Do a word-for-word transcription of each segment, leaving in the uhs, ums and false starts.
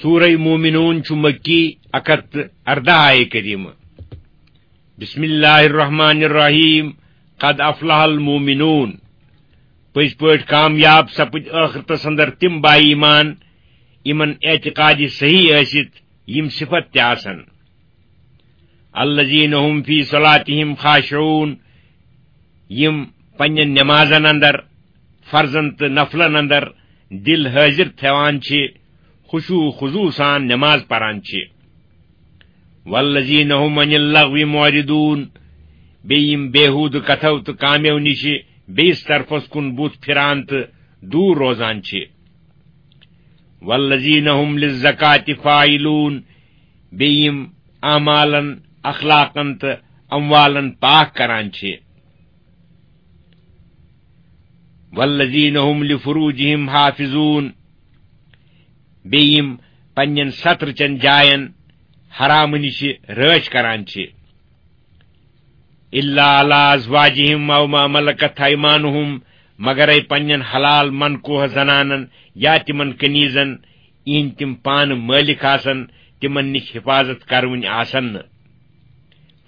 سورہ مومنون چھُ مکی، اکھ ہتھ تہٕ ارداہ آیہ کریمہ۔ بسم اللہ الرحمن الرحیم۔ قد افلح المومنون۔ پٔزۍ پٲٹھۍ کامیاب سپٕدۍ ٲخرتس اندر تِم با ایمان، یِمن اعتقادی صحیح ٲسِتھ یِم صفت تہِ آسن۔ الذین هم فی صلاتہم خاشعون، یِم پننٮ۪ن نمازن اندر، فرضن تہٕ نفلن اندر دل حٲضِر تھاوان چھِ، خشوع و خضوع سان نماز پران چھِ۔ والذین هم عن اللغو معرضون، بیٚیہِ یِم بیہودٕ کتھو تہٕ کامیو نِشہِ بیٚیِس طرفس کُن بُتھ پھران تہٕ دوٗر روزان چھِ۔ والذین هم للزکاة فاعلون، بیٚیہِ یِم اعمالن، اخلاقن تہٕ اموالن پاک کران چھِ۔ والذین هم لفروجہم حافظون، بیٚیہِ یِم پننٮ۪ن سترٕ چٮ۪ن جاین حرامہٕ نِشہِ رٲچھ کران چھِ۔ الا علی ازواجہم او ما ملکت ایمانہم، مگرے پننٮ۪ن حلال منکوہ زنانن یا تِمن کنیزن، یِہنٛدۍ تِم پانہٕ مٲلِک آسن، تِمن نِش حفاظت کرونۍ آسن نہٕ۔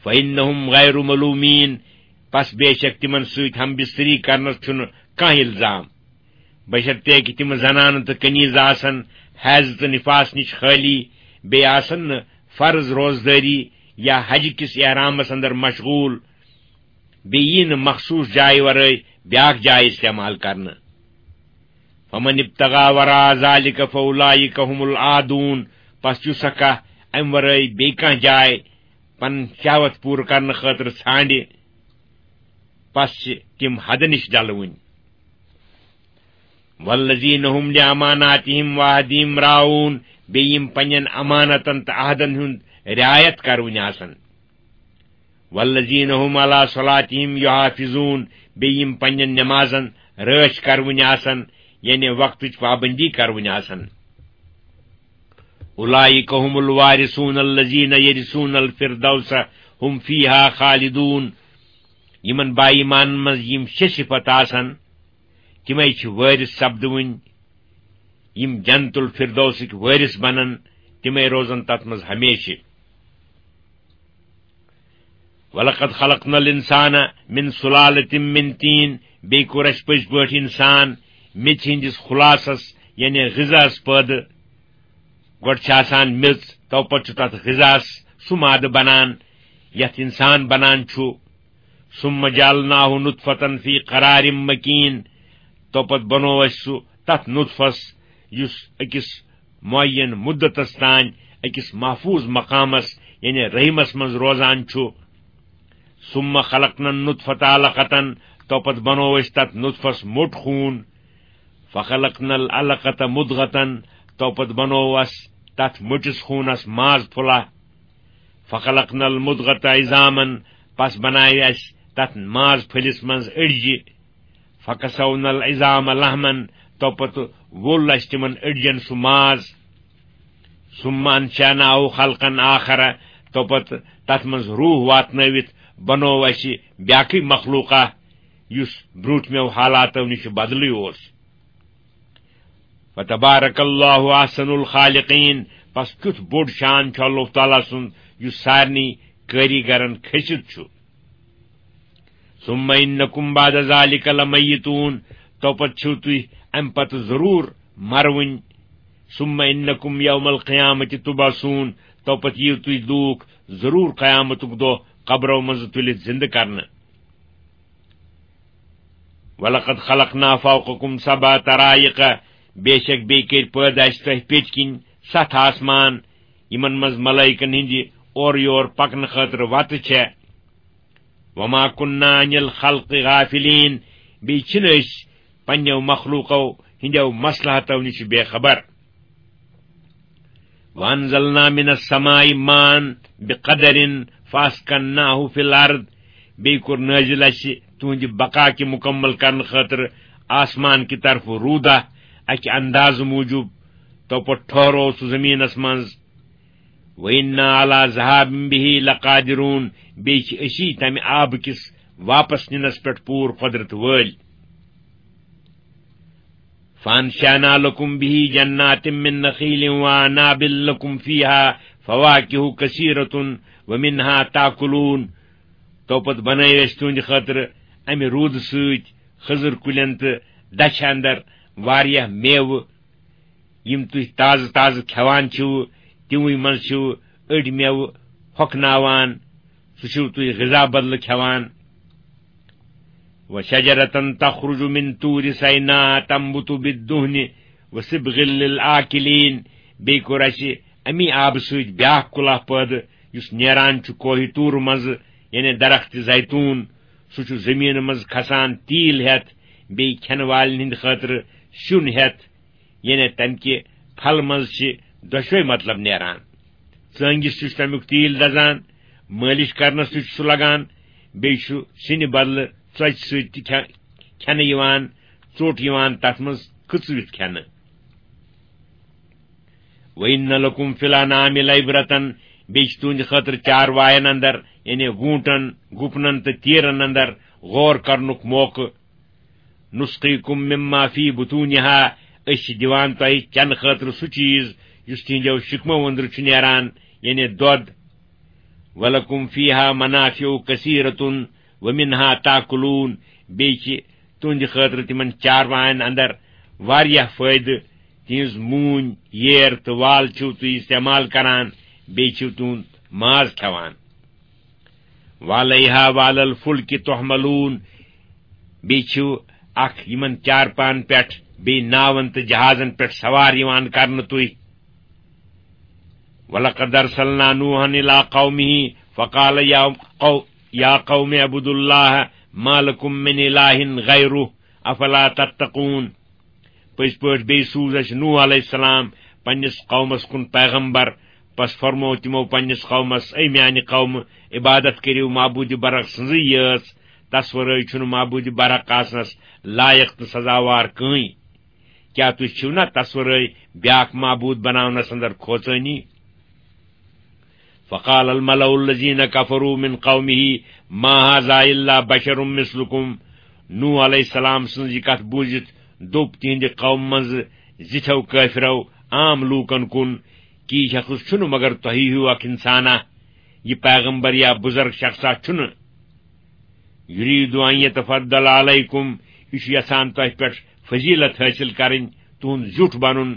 فإنہم غیر ملومین، پس بے شک تِمن سۭتۍ ہم بستری کرنس چھُنہٕ کانٛہہ الزام۔ بشرطیکہِ تِم زنانہٕ تہٕ کنیز آسن حیض تہٕ نفاس نِش خٲلی، بیٚیہِ آسن نہٕ فرض روزدٲری یا حج کِس احرامس اندر مشغول، بیٚیہِ یی نہٕ مخصوص جایہِ ورٲے بیاکھ جاے استعمال کرنہٕ۔ فمن ابتغى وراء ذلك فأولئك هم العادون، پس یُس سا کانٛہہ امہِ ورٲے بیٚیہِ کانٛہہ جاے پنٕنۍ شہوت پوٗرٕ کرنہٕ خٲطرٕ ژھانڈِ، پس چھِ تِم حدٕ نِش ڈلوٕنۍ۔ والذین هم لاماناتہم وعہدہم راعون، بیٚیہِ یِم پننٮ۪ن امانتن تہٕ عہدن ہُنٛد رعایت کرونۍ آسن۔ والذین هم علی صلاتہم یحافظون، بیٚیہِ یِم پننٮ۪ن نمازن رٲچھ کرونۍ آسن، یعنی وقتٕچ پابندی کرونۍ آسن۔ اولئک هم الوارثون الذین یرثون الفردوس هم فیہا خالدون۔ یِمن با ایمانن منٛز یِم شےٚ صفت آسن، تِمے چھِ وٲرث سپدوٕنۍ، یِم جنت الفردوسٕکۍ وٲرث بنن، تِمے روزن تتھ منٛز ہمیشہِ۔ ولقد خلقنا الانسان من سلالة من طین، بیٚیہِ کوٚر اَسہِ پٔزۍ پٲٹھۍ انسان میٚژِ ہٕنٛدِس خلاصس، یعنی غذاہس پٲدٕ۔ گۄڈٕ چھِ آسان میٚژ، تو پتہٕ چھُ تتھ غذاہس سُہ مادٕ بنان یتھ انسان بنان چھُ۔ ثم جعلناه نطفة في قرار مكين، تو پتہٕ بنوو اَسہِ سُہ تتھ نطفس، یُس أکِس معین مدتس تام أکِس محفوظ مقامس، یعنی رحمس منٛز روزان چھُ۔ ثم خلقنا النطفة علقة، تو پتہٕ بنوو أسۍ تتھ نطفس موٚٹ خوٗن۔ فخلقنا العلقة مضغة، تو پتہٕ بنوو اَسہِ تتھ موٚٹِس خوٗنس ماز پھوٚلہ۔ فخلقنا المضغة عظاما، پس بنایہِ اَسہِ تتھ ماز پھٔلِس منٛز أڈجہِ۔ فکسونا العظام لحما، تو پتہٕ وول اَسہِ تِمن أڈجن سُہ ماز۔ ثم انشأناه خلقا آخر، تو پتہٕ تتھ منٛز روح واتنٲوِتھ بنوو اَسہِ بیاکھٕے مخلوقہ، یُس برٛونٛٹھمیو حالاتو نِش بدلٕے اوس۔ فتبارک اللہ احسن الخالقین، پس کیُتھ بوٚڑ شان چھُ اللہ تعالیٰ سُنٛد، یُس سارنٕے کٲریگرن کھٔسِتھ چھُ۔ ثم انکم بعد ذلک لمیتون، تو پتہٕ چھِو تُہۍ امہِ پتہٕ ضروٗر مرٕوٕنۍ۔ ثم انکم یوم القیامۃ تبعثون، تو پتہٕ یِیِو تُہۍ لوٗکھ ضروٗر قیامتُک دۄہ قبرو منٛزٕ تُلِتھ زِندٕ کرنہٕ۔ ولقد خلقنا فوقکم سبع طرائق، بے شک بیٚیہِ کٔرۍ پٲدٕ اَسہِ تۄہہِ پیٚٹھۍ کِنۍ ستھ آسمان، یِمن منٛز ملائکن ہٕنٛدِ اورٕ یور پکنہٕ خٲطرٕ وتہٕ چھےٚ۔ وما كنا عن الخلق غافلين، بیٚیہِ چھِنہٕ أسۍ پننیو مخلوقو ہٕنٛدیو مصلحتو نِش بے خبر۔ وانزلنا من السماء ماء بقدر فاسكناه في الارض، بیٚیہِ کوٚر نٲزِل اَسہِ تُہنٛدِ بقا کہِ مُکمل کرنہٕ خٲطرٕ آسمان کہِ طرفہٕ روٗدہ اَکہِ اندازٕ موٗجوٗب، تو پتہٕ ٹھہروو سُہ زٔمیٖنس منٛز۔ وَإِنَّا عَلَىٰ ذَهَابٍ بِهِ لَقَادِرُونَ، بیٚیہِ چھِ أسی تَمہِ آبہٕ کِس واپس نِنَس پٮ۪ٹھ پوٗرٕ قۄدرت وٲلۍ۔ فانشأنا لكم به جنات من نخيل وأعناب لكم فيها فواكه كثيرة ومنها تأكلون۔ تو پتہٕ بنٲے اَسہِ تُہنٛدِ خٲطرٕ اَمہِ روٗدٕ سۭتۍ خٔزٕر کُلٮ۪ن تہٕ دَچھِ اندر واریاہ میوٕ، یِم تُہۍ تازٕ تازٕ کھٮ۪وان چھِو، تِموٕے منٛز چھِو أڑۍ میوٕ ہۄکھناوان، سُہ چھِو تُہۍ غذا بدلہٕ کھٮ۪وان۔ وشجرة تخرج من طور سيناء تنبت بالدهن وصبغ للآكلين۔ بیٚیہِ کوٚر اَسہِ اَمی آبہٕ سۭتۍ بیٛاکھ کُلہ پٲدٕ، یُس نیران چھُ کوہہِ طور منٛزٕ، یعنی درخت زیتون۔ سُہ چھُ زٔمیٖنہٕ منٛز کھسان تیٖل ہٮ۪تھ، بیٚیہِ کھٮ۪نہٕ والٮ۪ن ہٕنٛدِ خٲطرٕ سیُن ہٮ۪تھ، یعنی تَمہِ کہِ پھلہٕ منٛز چھِ دۄشوے مطلب نیران۔ ژٲنٛگِس تہِ چھُ تَمیُک تیٖل دَزان، مٲلِش کرنَس تہِ چھُ سُہ لگان، بیٚیہِ چھُ سِنہِ بدلہٕ ژۄچہِ سۭتۍ تہِ کھے-، کھٮ۪نہٕ یِوان، ژوٚٹ یِوان تَتھ منٛز کٕژوِتھ کھٮ۪نہٕ۔ وَإِنَّ لَكُمْ فِي الْأَنْعَامِ لَعِبْرَةً، بیٚیہِ چھُ تُہنٛدِ خٲطرٕ چاروایَن اندر، یعنی گوٗنٹن، گُپنن تہٕ تیرن اندر غور کرنُک موقعہٕ۔ نُسْقِيكُم مِّمَّا فِي بُطُونِهَا، أسۍ چھِ دِوان تۄہہِ چنہٕ خٲطرٕ سُہ چیٖز یُس تِہنٛدیو شِکمو أنٛدرٕ چھُ نیران، یعنی دۄد۔ وَلَكُمْ فِيهَا مَنَافِعُ كَثِيرَةٌ وَمِنْهَا تَأْكُلُونَ، بیٚیہِ چھِ تُہنٛدِ خٲطرٕ تِمن چاروایَن اندر واریاہ فٲیدٕ، تِہنٛز موٗنۍ، ییر تہٕ وال چھِو تُہۍ استعمال کران، بیٚیہِ چھِو تِہُنٛد ماز کھٮ۪وان۔ وَعَلَيْهَا وَعَلَى الْفُلْكِ تُحْمَلُونَ، بیٚیہِ چھِو اکھ یِمن چارپاہن پٮ۪ٹھ، بیٚیہِ ناون تہٕ جہازن پٮ۪ٹھ سوار یِوان کرنہٕ تُہۍ۔ وَلَقَدْ أَرْسَلْنَا نُوحًا إِلَىٰ قَوْمِهِ فَقَالَ يَا قَوْ-، يَا قَوْمِ اعْبُدُوا اللَّهَ مَا لَكُمْ مِنْ إِلَٰهٍ غَيْرُهُ أَفَلَا تَتَّقُونَ۔ پٔزۍ پٲٹھۍ بیٚیہِ سوٗز اَسہِ نوح علیہ السلام پننِس قومس کُن پیغمبر۔ پس فرموو تِمو پننِس قومس، اے میانہِ قومہٕ، عبادت کٔرِو معبوٗدِ برحق سٕنٛزٕے یٲژ، تس ورٲے چھُنہٕ معبوٗدِ برحق آسنس لایق تہٕ سزاوار کٕہٕنۍ۔ کیٛاہ تُہۍ چھِو نا تس ورٲے بیاکھ معبوٗد بناونس اندر کھوژٲنی؟ فقال الملأ الذين كفروا من قومه ما هذا إلا بشر مثلكم۔ نوح علیہ السلام سٕنٛز یہِ کتھ بوٗزِتھ دوٚپ تِہنٛدِ قوم منٛز زِٹھٮ۪و کٲفرو عام لوٗکن کُن، کہِ یہِ شخص چھُنہٕ مگر تۄہہِ ہیوٗ اکھ انسانا، یہِ پیغمبر یا بزرگ شخصا چھُنہٕ۔ يريد أن يتفضل عليكم، یہِ چھُ یژھان تۄہہِ پٮ۪ٹھ فضیلت حٲصِل کرٕنۍ، تُہُنٛد زیُٹھ بنُن۔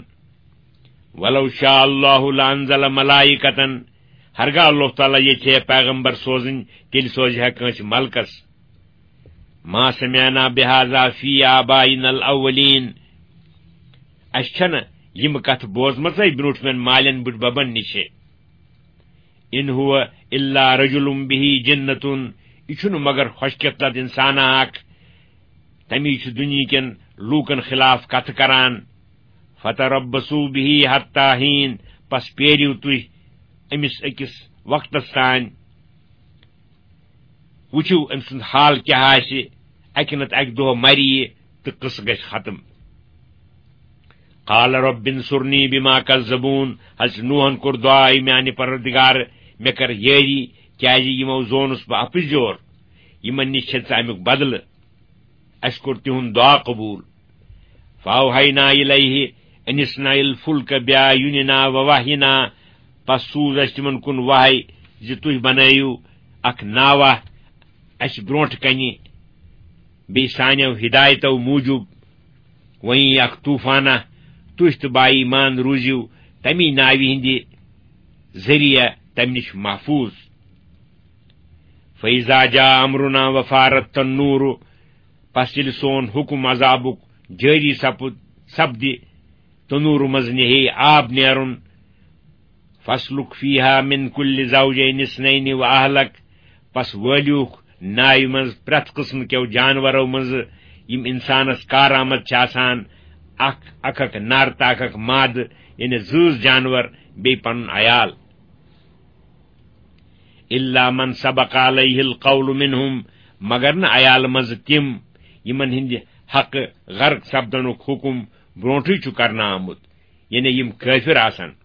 ولو شاء الله لأنزل ملائكة، ہرگاہ اللہ تعالیٰ یژھِ ہے پیغمبر سوزٕنۍ، تیٚلہِ سوزِ ہے کٲنٛسہِ ملکس۔ ما سمعنا بهذا في آبائنا الأولين، اَسہِ چھَنہٕ یِم کتھٕ بوزمژے برٛونٛٹھمٮ۪ن مالٮ۪ن بٕڈببن نِش۔ إن هو إلا رجل به جنة، یہِ چھُنہٕ مگر خۄش قسمت انسانا اکھ، تمی چھُ دُنیہکٮ۪ن لوٗکن خلاف کتھٕ کران۔ فتربصوا به حتى حين، پس پیٲرِو تُہۍ أمِس أکِس وقتس تام، وٕچھِو أمۍ سُنٛد حال کیٛاہ آسہِ، اکہِ نتہٕ اکہِ دۄہ مرِ یہِ تہٕ قصہٕ گژھِ ختم۔ قال رب انصرني بما كذبون، حضرت نوحن کوٚر دعا، اے میانہِ پروردگار، مےٚ کر یٲری، کیازِ یِمو زونُس بہٕ اپٕز جور، یِمن نِش چھِ ژٕ امیُک بدلہٕ۔ اَسہِ کوٚر تِہُنٛد دعا قبوٗل۔ فأوحينا إليه أن اصنع الفلك بأعيننا ووحينا، پس سوٗز اَسہِ تِمن کُن وحی زِ تُہۍ بنٲیِو اکھ ناوہ اَسہِ برونٛٹھ کنہِ، بیٚیہِ سانیو ہدایتو موٗجوٗب۔ وۄنۍ اکھ طوفانہ، تُہۍ تہٕ با ایمان روٗزِو تمی ناوِ ہٕنٛدِ ذٔریعہٕ تمہِ نِش محفوٗظ۔ فإذا جاء أمرنا وفارت النور، پس ییٚلہِ سون حُکم عذابُک جٲری سپُد، سپدِ، تنوٗرٕ منٛز نِہے آب نیرُن۔ فاسلک فیہا من کل زوجین اثنین و اہلک، پس وٲلِوکھ ناوِ منٛز پرٛٮ۪تھ قٕسمہٕ کیو جانورو منٛزٕ یِم انسانس کارآمد چھِ آسان، اکھ اکھ اکھ نر تہٕ اکھ اکھ مادٕ، یعنی زۭز جانور، بیٚیہِ پنُن عیال۔ الا من سبق علیہ القول منہم، مگر نہٕ عیالہٕ منٛزٕ تِم یِمن ہٕنٛدِ حقہٕ غرق سپدنُک حُکم برونٹھٕے چھُ کرنہٕ آمُت، یعنی یِم کٲفر آسن۔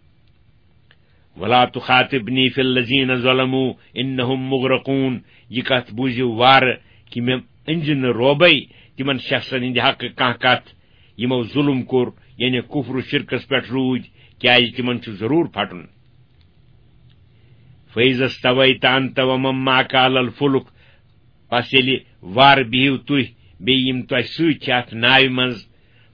ولا تخاطبنی فی الذین ظلموا انہم مغرقون، یہِ کتھ بوٗزِو وارٕ کہِ مےٚ أنزِ نہٕ روبے تِمن شخصن ہٕنٛدِ حقہٕ کانٛہہ کتھ، یِمو ظُلُم کوٚر، یعنی کُفر و شِرکس پٮ۪ٹھ روٗدۍ، کیازِ تِمن چھُ ضروٗر پھٹُن۔ فَإِذَا اسْتَوَيْتَ أَنْتَ وَمَنْ مَعَكَ عَلَى الْفُلْكِ، پس ییٚلہِ وارٕ بِہِو تُہۍ بیٚیہِ یِم تۄہہِ سۭتۍ چھِ اَتھ ناوِ منٛز،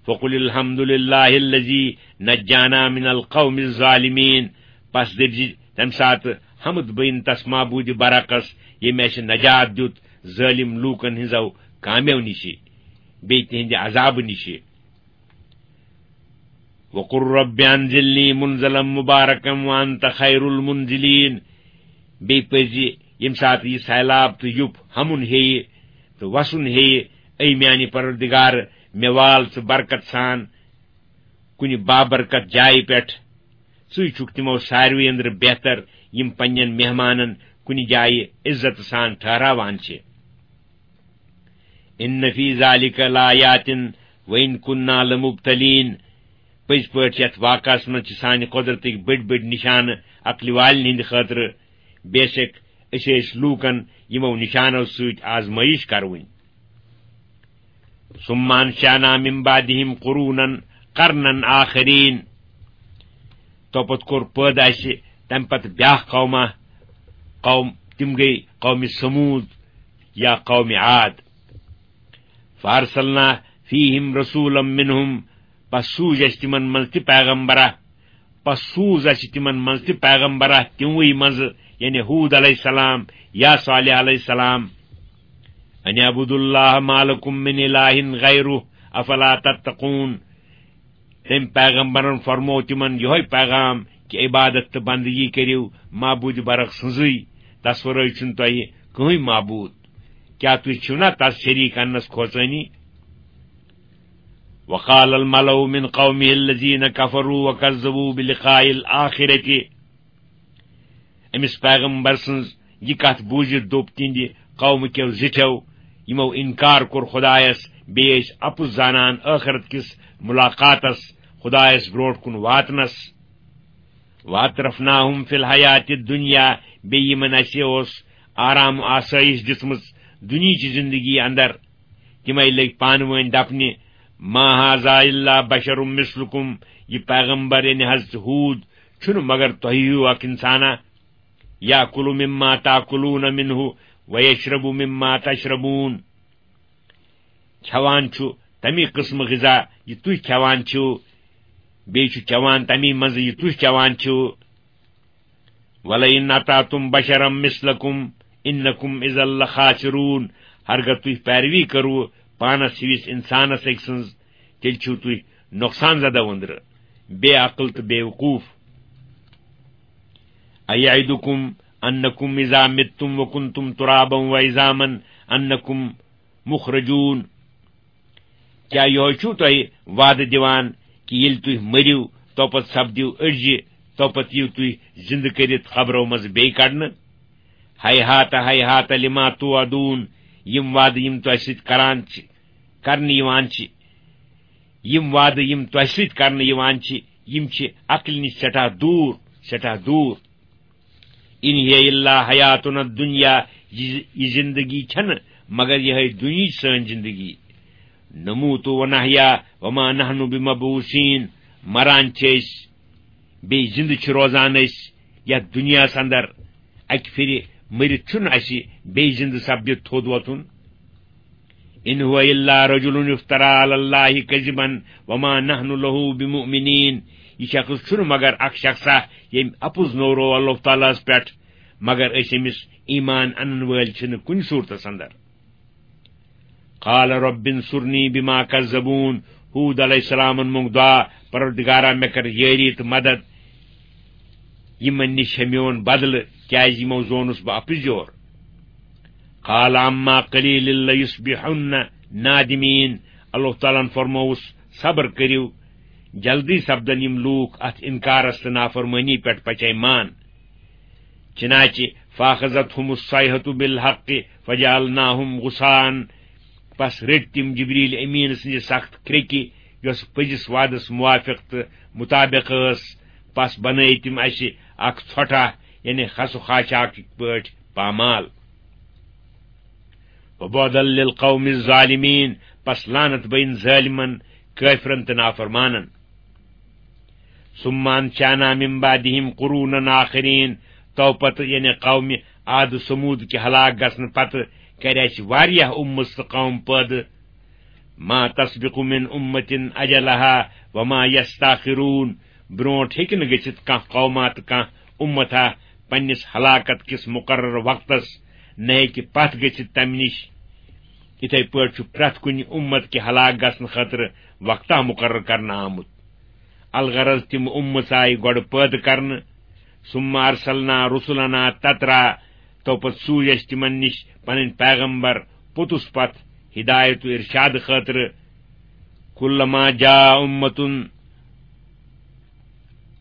فَقُلِ الْحَمْدُ لِلَّهِ الَّذِي نَجَّانَا مِنَ الْقَوْمِ الظَّالِمِينَ، پس دٔپزِ تَمہِ ساتہٕ، حمد بٔیِن تس معبوٗدِ برحقس، ییٚمۍ اَسہِ نجات دیُت ظٲلِم لوٗکن ہٕنٛزو کامیو نِشہِ، بیٚیہِ تِہنٛدِ عذابہٕ نِشہِ۔ وَقُلْ رَبِّ أَنْزِلْنِي مُنْزَلًا مُبَارَكًا وَأَنْتَ خَيْرُ الْمُنْزِلِينَ۔ بیٚیہِ پٔزِ ییٚمہِ ساتہٕ یہِ سیلاب تہٕ یُپھ ہمُن ہیٚیہِ تہٕ وسُن ہیٚیہِ، اے میانہِ پروردگار، مےٚ وال ژٕ برکت سان کُنہِ بابرکت جایہِ پٮ۪ٹھ۔ ژٕے چھُکھ تِمو ساروٕے أنٛدرٕ بہتر، یِم پننٮ۪ن مہمانن کُنہِ جایہِ عزت سان ٹھہراوان چھِ۔ إِنَّ فِي ذَلِكَ لَآيَاتٍ وَإِنْ كُنَّا لَمُبْتَلِينَ۔ پٔزۍ پٲٹھۍ یَتھ واقعس منٛز چھِ سانہِ قۄدرتٕکۍ بٔڑۍ بٔڑۍ نِشانہٕ عقلہِ والٮ۪ن ہٕنٛدِ خٲطرٕ۔ بے شک أسۍ ٲسۍ لوٗکن یِمو نِشانو سۭتۍ آزمٲیِش کروٕنۍ۔ ثُمَّ أَنْشَأْنَا مِنْ بَعْدِهِمْ قُرُونًا قَرْنًا آخَرِينَ۔ توپتہٕ کوٚر پٲدٕ اَسہِ تَمہِ پتہٕ بیٛاکھ قوما، قوم، تِم گٔے قومِ ثمود یا قومِ عاد۔ فَأَرْسَلْنَا فِيهِمْ رَسُولًا مِنْهُمْ، پس سوٗز اَسہِ تِمن منٛز تہِ پیغمبرا، پس سوٗز اَسہِ تِمن منٛز تہِ پیغمبرا، تِموٕے منٛزٕ، یعنی ہود علیہ السلام یا صالح علیہ السلام۔ أَنِ اعْبُدُوا اللَّهَ مَا لَكُمْ مِنْ إِلَٰهٍ غَيْرُهُ أَفَلَا تَتَّقُونَ۔ تٔمۍ پیغمبرن فرموو تِمن یِہوٚے پیغام کہِ عبادت تہٕ بندگی کٔرِو معبوٗدِ برحق سٕنٛزٕے، تس ورٲے چھُنہٕ تۄہہِ کٕہٕنۍ معبوٗد۔ کیٛاہ تُہۍ چھِو نا تس شریٖک اننس کھوژٲنی؟ وَقَالَ الْمَلَأُ مِنْ قَوْمِهِ الَّذِينَ كَفَرُوا وَكَذَّبُوا بِلِقَاءِ الْآخِرَةِ۔ أمِس پیغمبر سٕنٛز یہِ کتھ بوٗزِتھ دوٚپ تِہنٛدِ قومہٕ کیو زِٹھیو، یِمو اِنکار کوٚر خۄدایس، بیٚیہِ ٲسۍ اَپُز زانان ٲخرت کِس مُلاقاتس، خۄدایس برونٛٹھ کُن واتنس۔ وَأَتْرَفْنَاهُمْ فِي الْحَيَاةِ الدُّنْيَا، بیٚیہِ یِمن اَسہِ اوس آرام و آسٲیِش دِژمٕژ دُنیہٕچہِ زِندگی اندر۔ تِمے لٔگۍ پانہٕ وٲنۍ دپنہِ، مَا هَٰذَا إِلَّا بَشَرٌ مِثْلُكُمْ، یہِ پیغمبر یعنی حضرت ہود چھُنہٕ مگر تۄہہِ ہیوٗ اکھ اِنسانا۔ يَأْكُلُ مِمَّا تَأْكُلُونَ مِنْهُ وَيَشْرَبُ مِمَّا تَشْرَبُونَ۔ کھٮ۪وان چھُ تَمی قٕسمہٕ غذا یہِ تُہۍ کھٮ۪وان چھِو، بیٚیہِ چھُ چٮ۪وان تَمی منٛزٕ یہِ تُہۍ چٮ۪وان چھِو۔ وَلَئِنْ أَطَعْتُمْ بَشَرًا مِثْلَكُمْ إِنَّكُمْ إِذًا لَخَاسِرُونَ۔ ہرگاہ تُہۍ پیروی کٔروٕ پانس ہِوِس اِنسانس أکۍ سٕنٛز، تیٚلہِ چھِو تُہۍ نۄقصان زدہ أنٛدرٕ، بے عقل تہٕ بے وقوٗف۔ أَيَعِدُكُمْ أَنَّكُمْ إِذَا مِتُّمْ وَكُنْتُمْ تُرَابًا وَعِظَامًا أَنَّكُمْ مُخْرَجُونَ۔ کیٛاہ یِہوٚے چھُو تۄہہِ وعدٕ دِوان کہِ ییٚلہِ تُہۍ مٔرِو، توپتہٕ سپدِو أڑجہِ، توپتہٕ یِیِو تُہۍ زِندٕ کٔرِتھ قبرو منٛزٕ بیٚیہِ کڑنہٕ؟ هَيْهَاتَ هَيْهَاتَ لِمَا تُوعَدُونَ۔ یِم وعدٕ یِم تۄہہِ سۭتۍ کران چھِ، کرنہٕ یِوان چھِ، یِم وعدٕ یِم تۄہہِ سۭتۍ کرنہٕ یِوان چھِ، یِم چھِ عقلہِ نِش سٮ۪ٹھاہ دوٗر، سٮ۪ٹھاہ دوٗر۔ إِنْ هِيَ إِلَّا حَيَاتُنَا الدُّنْيَا، یہِ، یہِ زِندگی چھَنہٕ مگر یِہوٚے دُنیہٕچ سٲنۍ زِندگی۔ نَمُوتُ وَنَحْيَا وَمَا نَحْنُ بِمَبْعُوثِينَ، مران چھِ أسۍ، بیٚیہِ زِندٕ چھِ روزان أسۍ یَتھ دُنیاہَس اندر۔ اَکہِ پھِرِ مٔرِتھ چھُنہٕ اَسہِ بیٚیہِ زِندٕ سپدِتھ تھوٚد وۄتھُن۔ إِنْ هُوَ إِلَّا رَجُلٌ افْتَرَىٰ عَلَى اللَّهِ كَذِبًا وَمَا نَحْنُ لَهُ بِمُؤْمِنِينَ۔ یہِ شخص چھُنہٕ مگر اکھ شخصا ییٚمۍ اَپُز نوروو اللہ تعالیٰ ہَس پٮ۪ٹھ، مگر أسۍ أمِس ایمان اَنَن وٲلۍ چھِنہٕ کُنہِ صوٗرتَس اندر۔ قَالَ رَبِّ انْصُرْنِي بِمَا كَذَّبُونَ۔ ہود علیہ السلامن مونگ دعا، پروردگارا، مےٚ کر یٲری تہٕ مدد یِمن نِش ہے میون بدلہٕ، کیازِ یِمو زونُس بہٕ اَپُز یور۔ قَالَ عَمَّا قَلِيلٍ لَيُصْبِحُنَّ نَادِمِينَ۔ اللہ تعالیٰ ہن فرمووُس، صبر کٔرِو، جلدی سپدن یِم لوٗکھ اتھ انکارس تہٕ نافرمٲنی پٮ۪ٹھ پچے مان۔ چنانچہ فَأَخَذَتْهُمُ الصَّيْحَةُ بِالْحَقِّ فَجَعَلْنَاهُمْ غُثَاءً۔ پس رٔٹۍ تِم جبریل امین سٕنٛزِ سخت کرٛیٚکہِ، یۄس پٔزِس وعدس موافق تہٕ مطابق ٲس۔ پس بنٲے تِم اسہِ اکھ ژھۄٹھاہ، یعنی خس و خاشاک پٲٹھۍ پامال۔ وَبُعْدًا لِلْقَوْمِ الظَّالِمِينَ۔ پس لعنت بین ظٲلمن کٲفرن تہٕ نافرمانن۔ ثم انشأنا من بعدهم قرونا آخرین، تو پتہٕ، یعنی قومِ عاد و ثمود کہِ ہلاک گژھنہٕ پتہٕ، کرِ اسہِ واریاہ اُمژ تہٕ قوم پٲدٕ۔ ما تسبق من امة اجلها وما یستاخرون، برونٹھ ہیٚکہِ نہٕ گٔژھِتھ کانٛہہ قوما تہٕ کانٛہہ اُمتھا پننِس ہلاکت کِس مقرر وقتس، نہ ہیٚکہِ پتھ گٔژھِتھ تمہِ نِش۔ یِتھے پٲٹھۍ چھُ پرٛٮ۪تھ کُنہِ اُمت کہِ ہلاک گژھنہٕ خٲطرٕ وقتہ مقرر کرنہٕ آمُت۔ الغرض، تِم اُمژ آیہِ گۄڈٕ پٲدٕ کرنہٕ، ثم ارسلنا رسلنا تترا، تو پتہٕ سوٗزۍ اسہِ تِمن نِش پنٕنۍ پیغمبر پوٚتُس پتھ ہدایت و ارشاد خٲطرٕ۔ کلما جاء امة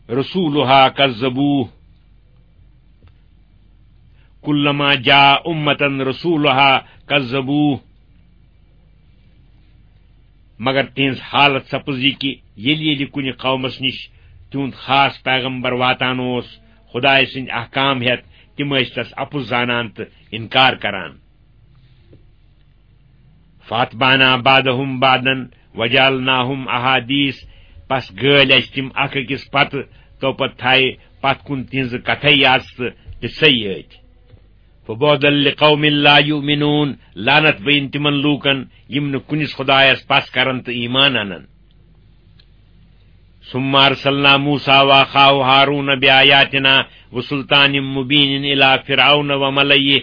رسولها کذبوه، کلما جاء امة رسولها کذبوه۔ مگر تِہنٛز حالت سپٕز یہِ کہِ ییٚلہِ ییٚلہِ کُنہِ قومس نِش تِہُنٛد خاص پیغمبر واتان اوس، خدایہِ سٕنٛدۍ احکام ہٮ۪تھ، تِم ٲسۍ تس اپُز زانان تہٕ انکار کران۔ فاتبعنا بعضهم بعضا وجعلناهم احادیث، پس گٲلۍ اسہِ تِم اکھ أکِس پتہٕ، تو پتہٕ تھایہِ پتھ کُن تِہنٛزٕ کتھے یاژٕ تہٕ قصے یٲتۍ۔ فبعدا لقوم لا یؤمنون، لعنت بین تِمن لوٗکن یِم نہٕ کُنِس خدایس پس کرن تہٕ ایمان انن۔ ثم ارسلنا موسى واخاه هارون بآياتنا وسلطان مبين الى فرعون وملئه،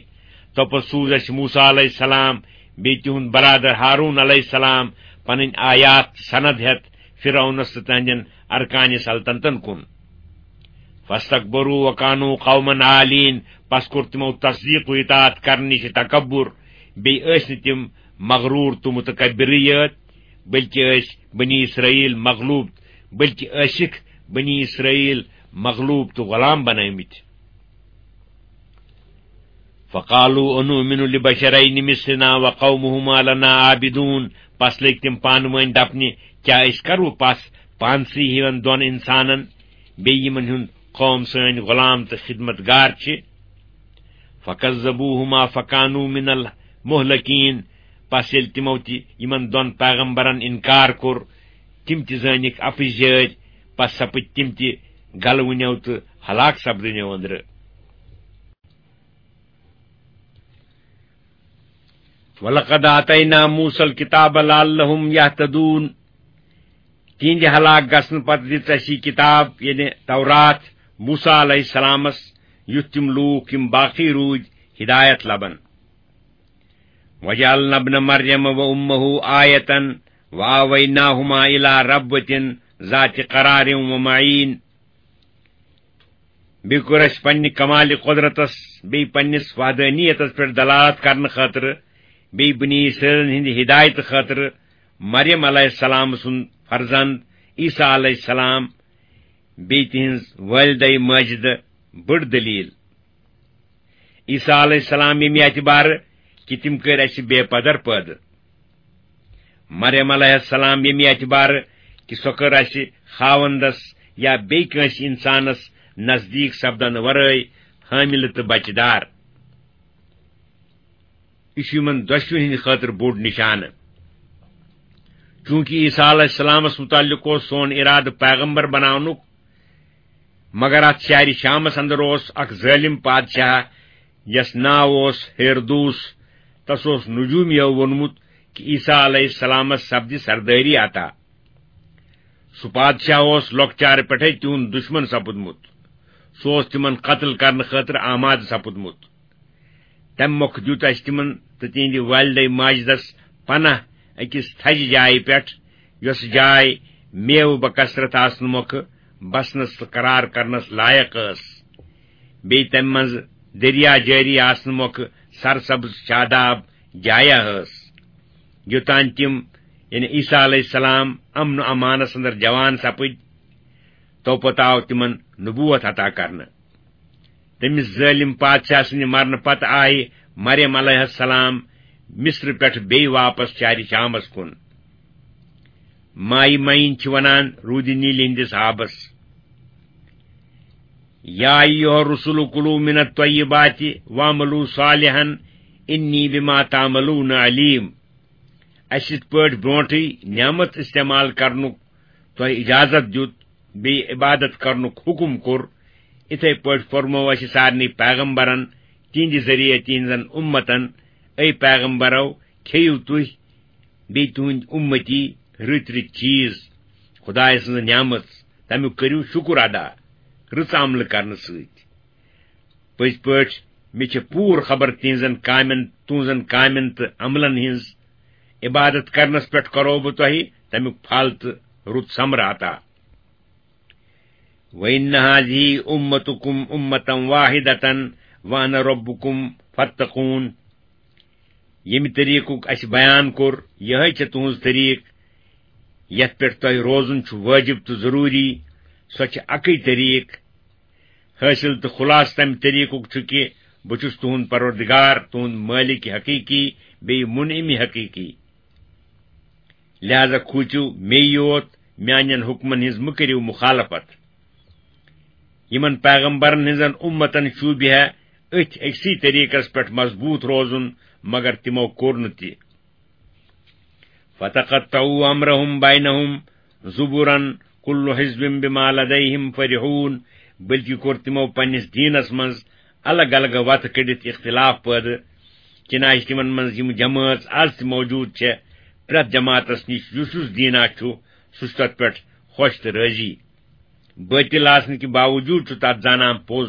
تو پتہٕ سوٗز اسہِ موسیٰ علیہ السلام بیٚیہِ تِہُنٛد برادر ہارون علیہ السلام پنٕنۍ آیات سند ہٮ۪تھ فرعونس تہٕ تہنٛدٮ۪ن ارکانِ سلطنتن کُن۔ فاستكبروا وكانوا قوما عالين، پس کوٚر تِمو تصدیق و اطاعت کرنہٕ نِش تکبر، بیٚیہِ ٲسۍ نہٕ تِم مغرور تہٕ متکبرٕے یٲتۍ، بلکہِ ٲسۍ بنی اسرائیل مغلوب، بلکہِ ٲسِکھ بنی اسرائیل مغلوب تہٕ غلام بنٲومٕتۍ۔ فقالوا انؤمن لبشرين مثلنا وقومهما لنا عابدون، پس لٔگۍ تِم پانہٕ وٲنۍ دپنہِ، کیٛاہ أسۍ کرو پس پانسٕے ہِوٮ۪ن دۄن انسانن، بیٚیہِ یِمن ہُنٛد قوم سٲنۍ غلام تہٕ خدمت گار چھِ؟ فکذبوہما فکانوا من المہلکین، پس ییٚلہِ تِمو تہِ یِمن دۄن پیغمبرن انکار کوٚر، تِم تہِ زٲنِکھ اپٕزۍ جٲرۍ، پس سپٕدۍ تِم تہِ گلوٕنیو تہٕ ہلاک سپدٕنیو أنٛدرٕ۔ ولقد آتینا موسى الكتاب لعلهم يهتدون، تِہنٛدِ ہلاک گژھنہٕ پتہٕ دِژ اَسہِ یہِ کِتاب، یعنی تورات، موسیٰ علیہ السلامس، یُتھ تِم لوٗکھ یِم باقی روٗدۍ ہدایت لبن۔ وجعلنا ابن مريم وأمه آية وآويناهما إلى ربوة ذات قرار ومعين۔ بیٚیہِ کوٚر اَسہِ پننہِ کمالِ قۄدرتس، بیٚیہِ پننِس وحدانیتس پٮ۪ٹھ دلالت کرنہٕ خٲطرٕ، بیٚیہِ بنی اسرائیلن ہٕنٛدِ ہدایتہٕ خٲطرٕ مریم علیہ السلام سُنٛد فرزند عیسیٰ علیہ السلام، بیٚیہِ تِہنٛز والدہ ماجدہ بٔڑ دلیل۔ عیسیٰ علیہ السلام ییٚمہِ اعتبارٕ کہِ تِم کٔرۍ اَسہِ بے پدر پٲدٕ۔ مریم علیہ السلام ییٚمہِ اعتبارٕ کہِ سۄ کٔر اَسہِ خاوندس یا بیٚیہِ کٲنٛسہِ انسانس نزدیٖک سپدنہٕ ورٲے حٲملہٕ تہٕ بچہٕ دار۔ یہِ چھُ یِمن دۄشوٕنی ہٕنٛدِ خٲطرٕ بوٚڑ نشانہٕ۔ چوٗنٛکہِ عیسیٰ علیہ السلامس مُتعلق اوس سون ارادٕ پیغمبر بناونُک، مگر اتھ شہرِ شامس اندر اوس اکھ ظٲلم پادشاہ، یس ناو اوس ہیرودوس۔ تس اوس نجومیو ووٚنمُت کہِ عیسیٰ علیہ السلامس سپدِ سردٲری عطا۔ سُہ پادشاہ اوس لۄکچارٕ پٮ۪ٹھے تِہُنٛد دشمن سپُدمُت۔ سُہ اوس تِمن قتل کرنہٕ خٲطرٕ آمادٕ سپُدمُت۔ تمہِ مۄکھٕ دیُت اَسہِ تِمن تہٕ تِہنٛدِ والدے ماجدس پناہ أکِس تھزِ جایہِ پٮ۪ٹھ، یۄس جاے میوٕ بکثرت آسنہٕ مۄکھٕ بسنس تہٕ قرار کرنس لایق ٲس۔ بیٚیہِ تمہِ منٛزٕ دریا جٲری آسنہٕ مۄکھٕ سرسبز شاداب جایہ ٲس۔ یوٚتام تِم، یعنی عیسیٰ علیہ السلام، امن و امانس اندر جوان سپٕدۍ، توپتہٕ آو تِمن نبوت عطا کرنہٕ۔ تٔمِس ظٲلم پادشاہ سٕنٛدِ مرنہٕ پتہٕ آیہِ مریم علیہ السلام مصر پٮ۪ٹھ بیٚیہِ واپس شہرِ شامس کُن۔ مایہِ معین چھِ ونان روٗدِ نیٖلہِ ہٕنٛدِس آبس۔ یا ایھا الرسل کلوا من الطیبات واعملوا صالحا انی بما تعملون علیم۔ اَسہِ یِتھ پٲٹھۍ برونٛٹھٕے نعمت استعمال کرنُک تۄہہِ اجازت دیُت، بیٚیہِ عبادت کرنُک حکم کوٚر، اِتھے پٲٹھۍ فرموو اَسہِ سارنٕے پیغمبرن تِہنٛدِ ذٔریعہٕ تِہنٛزن اُمتن، اے پیغمبرو، کھیٚیِو تُہۍ بیٚیہِ تُہنٛدۍ اُمتی رٕتۍ رٕتۍ چیٖز، خدایہِ سٕنٛز نعمت، تَمیُک کٔرِو شُکُر ادا رٕژ عملہٕ کرنہٕ سۭتۍ۔ پٔزۍ پٲٹھۍ مےٚ چھِ پوٗرٕ خبر تِہنٛزن کامٮ۪ن، تُہنٛزن کامٮ۪ن تہٕ عملن ہٕنٛز۔ عبادت کرنس پٮ۪ٹھ کرو بہٕ تۄہہِ تَمیُک پھل تہٕ رُت ثمرٕ عطا۔ وَإِنَّ هَٰذِهِ أُمَّتُكُمْ أُمَّةً وَاحِدَةً وَأَنَا رَبُّكُمْ فَاتَّقُونِ۔ ییٚمہِ طریٖقُک اَسہِ بیان کوٚر، یِہوٚے چھےٚ تُہٕنٛز طریٖق، یَتھ پٮ۪ٹھ تۄہہِ روزُن چھُ وٲجِب تہٕ ضروٗری۔ سۄ چھِ اَکٕے طریٖق۔ حٲصِل تہٕ خُلاصہٕ تَمہِ طریٖقُک چھُ کہِ بہٕ چھُس تُہُنٛد پروردگار، تُہُنٛد مٲلِک حقیٖقی، بیٚیہِ مُنعِم حقیٖقی۔ لہذا کھوٗژِو مے یوت، میانٮ۪ن حُکمن ہٕنٛز مہٕ کٔرِو مُخالفت۔ یِمن پیغمبرن ہٕنٛزن اُمتن شوٗبہِ ہے أتھۍ أکسٕے طریٖقس پٮ۪ٹھ مضبوٗط روزُن، مگر تِمو کوٚر نہٕ تہِ۔ فَتَقَطَّعُوا أَمْرَهُمْ بَيْنَهُمْ زُبُرًا، كُلُّ حِزْبٍ بِمَا لَدَيْهِمْ فَرِحُونَ، بلکہِ کوٚر تِمو پننِس دیٖنس منٛز الگ الگ وتہٕ کٔڑِتھ اختلاف پٲدٕ۔ چنانچہ تِمن منٛز یِم جمٲژ از تہِ موجود چھےٚ، پرٛٮ۪تھ جماعتس نِش یُس یُس دیٖنا چھُ، سُہ چھُ تتھ پٮ۪ٹھ خۄش تہٕ رٲضی۔ بٲطِل آسنہٕ کہِ باوجوٗد چھُ تتھ زانان پوٚز۔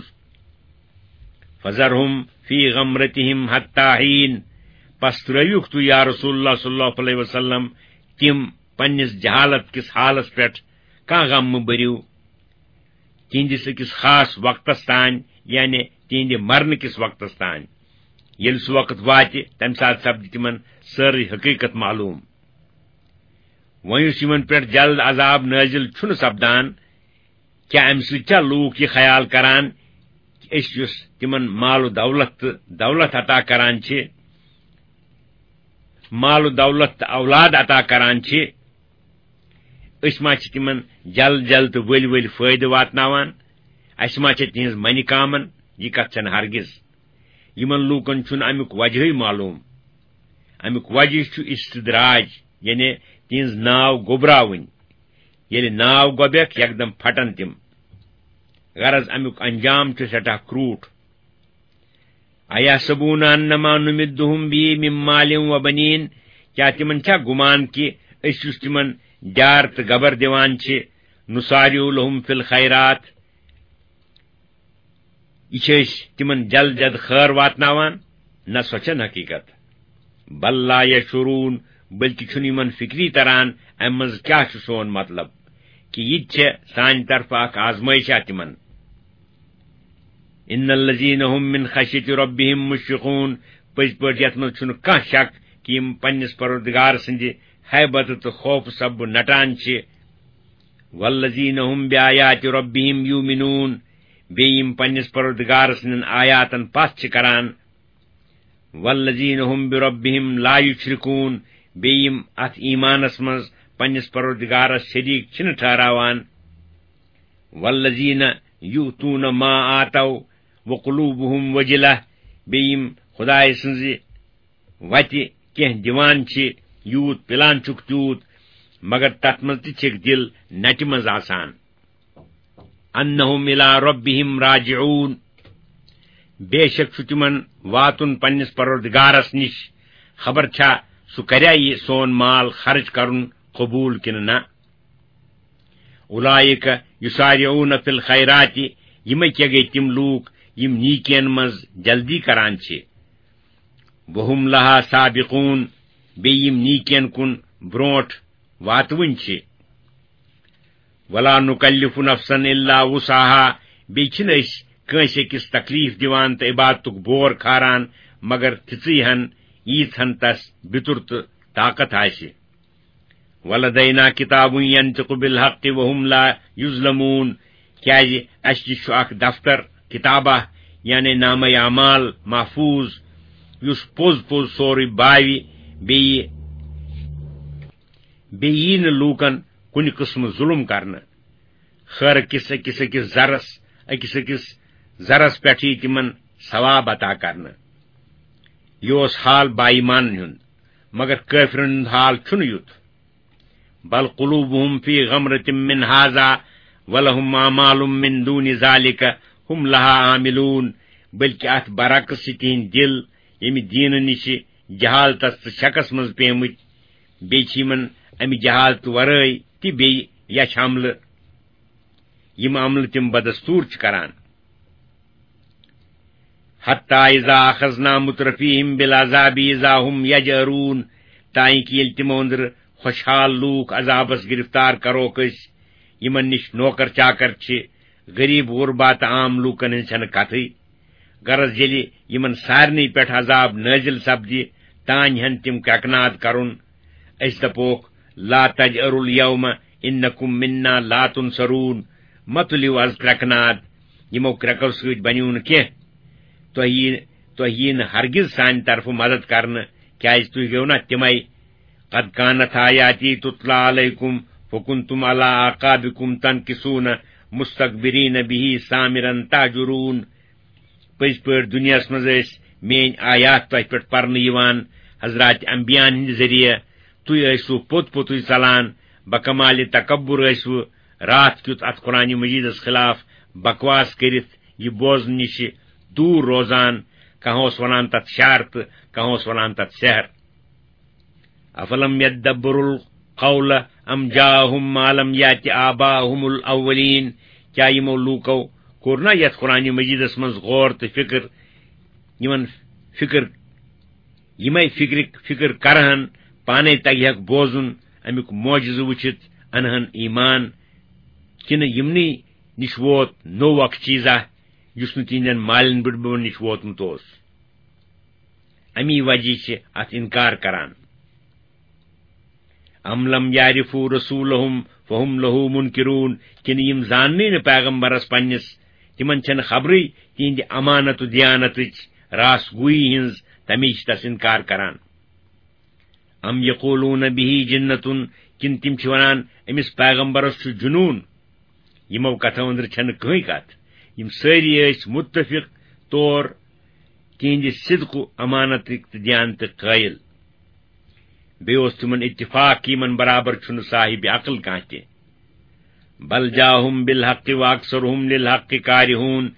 فَذَرْهُمْ فِي غَمْرَتِهِمْ حَتَّىٰ حِينٍ۔ پس ترٲوِکھ تُہۍ، یا رسول اللہ صلی اللہ علیہ وسلم، تِم پننِس جہالت کِس حالس پٮ۪ٹھ، کانٛہہ غم مہٕ بٔرِو۔ تِہنٛدِس أکِس خاص وقتس تام، یعنی تِہنٛدِ مرنہٕ کِس وقتس تام۔ ییٚلہِ سُہ وقت واتہِ، تمہِ ساتہٕ سپدِ تِمن سٲرٕے حقیٖقت معلوٗم۔ وۄنۍ یُس یِمن پٮ۪ٹھ جلد عذاب نٲزِل چھُنہٕ سپدان، کیٛاہ امہِ سۭتۍ چھا لوٗکھ یہِ خیال کران کہِ أسۍ یُس تِمن مال و دولت تہٕ دولت عطا کران چھِ، مال و دولت تہٕ اولاد عطا کران چھِ، أسۍ ما چھِ تِمن جل جل تہٕ ؤلۍ ؤلۍ فٲیدٕ واتناوان؟ اَسہِ ما چھِ تِہنٛز منہِ کامن؟ یہِ کتھ چھنہٕ ہرگز۔ یِمن لوٗکن چھُنہٕ امیُک وجہٕے معلوٗم۔ امیُک وجہ چھُ استدراج، یعنی تِہنٛز ناو گوٚبراوٕنۍ۔ ییٚلہِ ناو گۄبٮ۪کھ، یکدم پھٹن تِم۔ غرض، امیُک انجام چھُ سٮ۪ٹھاہ کرٛوٗٹھ۔ أَيَحْسَبُونَ أَنَّمَا نُمِدُّهُمْ بِهِ مِن مَّالٍ وَبَنِينَ، کیٛاہ تِمن چھا گُمان کہِ أسۍ یُس تِمن ڈیار تہٕ گبر دِوان چھِ، نُسَارِعُ لَهُمْ فِي الْخَيْرَاتِ، یہِ چھِ أسۍ تِمن جلد جلد خٲر واتناوان؟ نہ، سۄ چھَنہٕ حقیٖقت۔ بَل لَا يَشْعُرُونَ، بلکہِ چھُنہٕ یِمن فِکری تران اَمہِ منٛز کیٛاہ چھُ سون مطلب، کہِ یہِ تہِ چھےٚ سانہِ طرفہٕ اکھ آزمٲیشا تِمن۔ إِنَّ الَّذِينَ هُمْ مِنْ خَشْيَةِ رَبِّهِمْ مُشْفِقُونَ، پٔزۍ پٲٹھۍ یَتھ منٛز چھُنہٕ کانٛہہ شک کہِ یِم پننِس پروردگار سٕنٛدِ ہیبتہٕ تہٕ خوفہٕ سببہٕ نٹان چھِ۔ وَالَّذِينَ هُمْ بِآيَاتِ رَبِّهِمْ يُؤْمِنُونَ، بیٚیہِ یِم پننِس پروردگار سٕنٛدٮ۪ن آیاتن پَتھ چھِ کران۔ وَالَّذِينَ هُمْ بِرَبِّهِمْ لَا يُشْرِكُونَ، بیٚیہِ یِم اَتھ ایٖمانس منٛز پننِس پروردگارس شریٖک چھِنہٕ ٹھہراوان۔ وَالَّذِينَ يُؤْتُونَ مَا آتَوْا وَقُلُوبُهُمْ وَجِلَةٌ، بیٚیہِ یِم خدایہِ سٕنٛزِ وَتہِ کینٛہہ دِوان چھِ، یوٗت پِلان چھُکھ تیوٗت، مگر تَتھ منٛز تہِ چھِکھ دِل نَٹہِ منٛز آسان۔ أَنَّهُمْ إِلَىٰ رَبِّهِمْ رَاجِعُونَ، بے شک چھُ تِمن واتُن پننِس پروردگارس نِش، خبر چھا سُہ کریا یہِ سون مال خرٕچ کرُن قبوٗل کِنہٕ نہ۔ أُولَٰئِکَ یُسَارِعُونَ فِی الْخَیرَاتِ، یِمے کیٛاہ گٔے تِم لوٗکھ یِم نیٖکیَن منٛز جلدی کران چھِ۔ وَهُمْ لَہا سَابِقُونَ، بیٚیہِ یِم نیٖکیَن کُن برونٛٹھ واتوٕنۍ چھِ۔ وَلَا نُکَلِّفُ نَفْسًا إِلَّا وُسْعَهَا، بیٚیہِ چھِنہٕ أسۍ کٲنٛسہِ أکِس تکلیف دِوان تہٕ عبادتُک بور کھاران مگر تِژٕے ہن، ییٖژ ہن تس بیتُر تہٕ طاقت آسہِ۔ وَلَدَیْنَا کِتَابٌ یَنطِقُ بِالْحَقِّ وَهُمْ لَا یُظْلَمُونَ، کیٛازِ اَسہِ نِش چھُ اکھ دفتر، کِتابہ، یعنی نامہ اعمال محفوظ، یُس پوٚز پوٚز سورُے باوِ، بیٚیہِ، بیٚیہِ یی نہٕ لوٗکن کُنہِ قٕسمہٕ ظُلُم کرنہٕ۔ خٲرٕ کِس أکِس أکِس ذرس، أکِس أکِس ذرس پٮ۪ٹھ یی تِمن ثواب عطا کرنہٕ۔ یہِ اوس حال با ایمانن ہُنٛد۔ مگر کٲفرن ہُنٛد حال چھُنہٕ یُتھ۔ بل قلوبهم في غمرة من هذا ولهم أعمال من دون ذلك هم لها عاملون، بلکہ اتھ برعکس چھِ تِہنٛدۍ دِل ییٚمہِ دیٖنہٕ نِشہِ جہالتس تہٕ شکس منٛز پیمٕتۍ، بیٚیہِ چھِ یِمن امہِ جہالتہٕ ورٲے تہِ بیٚیہِ یچھ عملہٕ، یِم عملہٕ تِم بدستور چھِ کران۔ حتى إذا أخذنا مترفيهم بالعذاب إذا هم يجأرون، تانۍ کہِ ییٚلہِ تِمو أنٛدرٕ خۄشحال لوٗکھ عذابس گرفتار کروکھ أسۍ، یِمن نِش نوکر چاکر چھِ، غریب غربا تہٕ عام لوٗکن ہٕنٛز چھنہٕ کتھٕے۔ غرض، ییٚلہِ یِمن سارنٕے پٮ۪ٹھ عذاب نٲزِل سپدِ، تانۍ ہٮ۪ن تِم کرٛٮ۪کناد کرُن۔ أسۍ دپوکھ، لا تجأروا اليوم إنكم منا لا تنصرون، مہ تُلِو از کرٛٮ۪کناد، یِمو کرٛٮ۪کو سۭتۍ بنیو نہٕ کینٛہہ۔ تۄہہِ یی، تۄہہِ یی نہٕ ہرگز سانہِ طرفہٕ مدد کرنہٕ، کیازِ تُہۍ گٔیو نا تِمے۔ قد كانت آياتي تتلى عليكم فكنتم على أعقابكم تنكصون مستكبرين به سامرا تهجرون۔ پٔزۍ پٲٹھۍ دُنیاہَس منٛز ٲسۍ میٲنۍ آیات تۄہہِ پٮ۪ٹھ پرنہٕ یِوان، حضرات انبیاءن ہٕنٛدِ ذٔریعہٕ۔ تُہۍ ٲسِو پوٚت پوٚتُے ژلان، بکمالِ تکبر ٲسِو راتھ کیُتھ اتھ قرآن مجیدس خلاف بکواس کٔرِتھ یہِ بوزنہٕ نِش دوٗر روزان۔ کانٛہہ اوس ونان تتھ شعر تہٕ کانٛہہ اوس ونان تتھ سحر۔ افلم یدبروا القول ام جاءهم ما لم یأت آباءهم الاولین، کیا یِمو لوٗکو کوٚر نہ یتھ قرآن مجیدس منٛز غور تہٕ فکر؟ یِمن فکر، یِمے فکرک فکر کرہن، پانے تگہکھ بوزُن، امیُک معجزٕ وٕچھِتھ انہن ایمان، کِنہٕ یِمنٕے نِش ووت نوٚو اکھ چیٖزا یُس نہٕ تِہنٛدٮ۪ن مالٮ۪ن بٕڈببن نِش ووتمُت اوس؟ امی وجہ چھِ اتھ انکار کران۔ ام لم یعرفوا رسولهم فهم له منکرون، کِنہٕ یِم زاننٕے نہٕ پیغمبرس پننِس، تِمن چھنہٕ خبرٕے تِہنٛدِ امانت و دیانتٕچ راس گویی ہٕنٛز، تمی چھِ تس انکار کران۔ ام یقولون به جنة، کِنہٕ تِم چھِ ونان أمِس پیغمبرس چھُ جنون؟ یِمو کتھو أنٛدرٕ چھنہٕ کٕہٕنۍ کتھ۔ یِم سٲری ٲسۍ متفق طور تِہنٛدِ صدق و امانتٕکۍ تہٕ دیانتٕکۍ قٲیل۔ بیٚیہِ اوس تِمن اتفاق کہِ یِمن برابر چھُنہٕ صاحب عقل کانٛہہ تہِ۔ بل جاءهم بالحق واکثرهم للحق کارہون،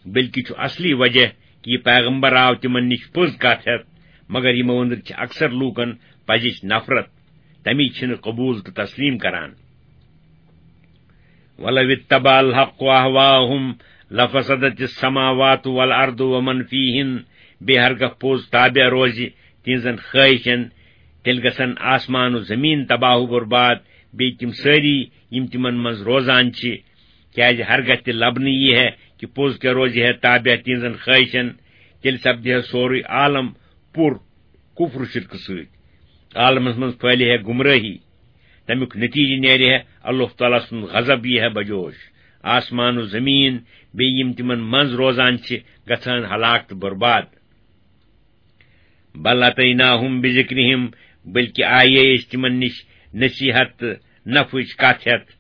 بلکہِ چھُ اصلی وجہ کہِ یہِ پیغمبر آو تِمن نِش پوٚز کتھ ہٮ۪تھ، مگر یِمو أنٛدرٕ چھِ اکثر لوٗکن پزِچ نفرت، تمی چھِنہٕ قبول تہٕ تسلیم کران۔ ولو اتبع الحق اهواءهم لفسدت السماوات والارض ومن فيهن، بیٚیہِ ہرگاہ پوٚز تابع روزِ تِہنٛزن خواہشن، تیٚلہِ گژھن آسمان و زمین تباہ و برباد، بیٚیہِ تِم سٲری یِم تِمن منٛز روزان چھِ، کیازِ ہرگاہ تہِ لبنہٕ یی ہے کہِ پوٚز کیٛاہ روزِ ہے تابع تِہنٛزن خواہشن، تیٚلہِ سپدِ ہے سورُے عالم پُر کفر و شرکہٕ سۭتۍ۔ عالمس منٛز پھٲلہِ ہے گمرٲہی۔ تمیُک نتیجہٕ نیرِ ہے اللہ تعالیٰ سُنٛد غضب یی ہے بجوش۔ آسمان و زمین بیٚیہِ یِم تِمن منٛز روزان چھِ گژھان ہلاک تہٕ برباد۔ بل اتیناہم بذکرہم، بلکہ آیے أسۍ تِمن نِش نصیحت تہٕ نفعٕچ کتھ ہٮ۪تھ۔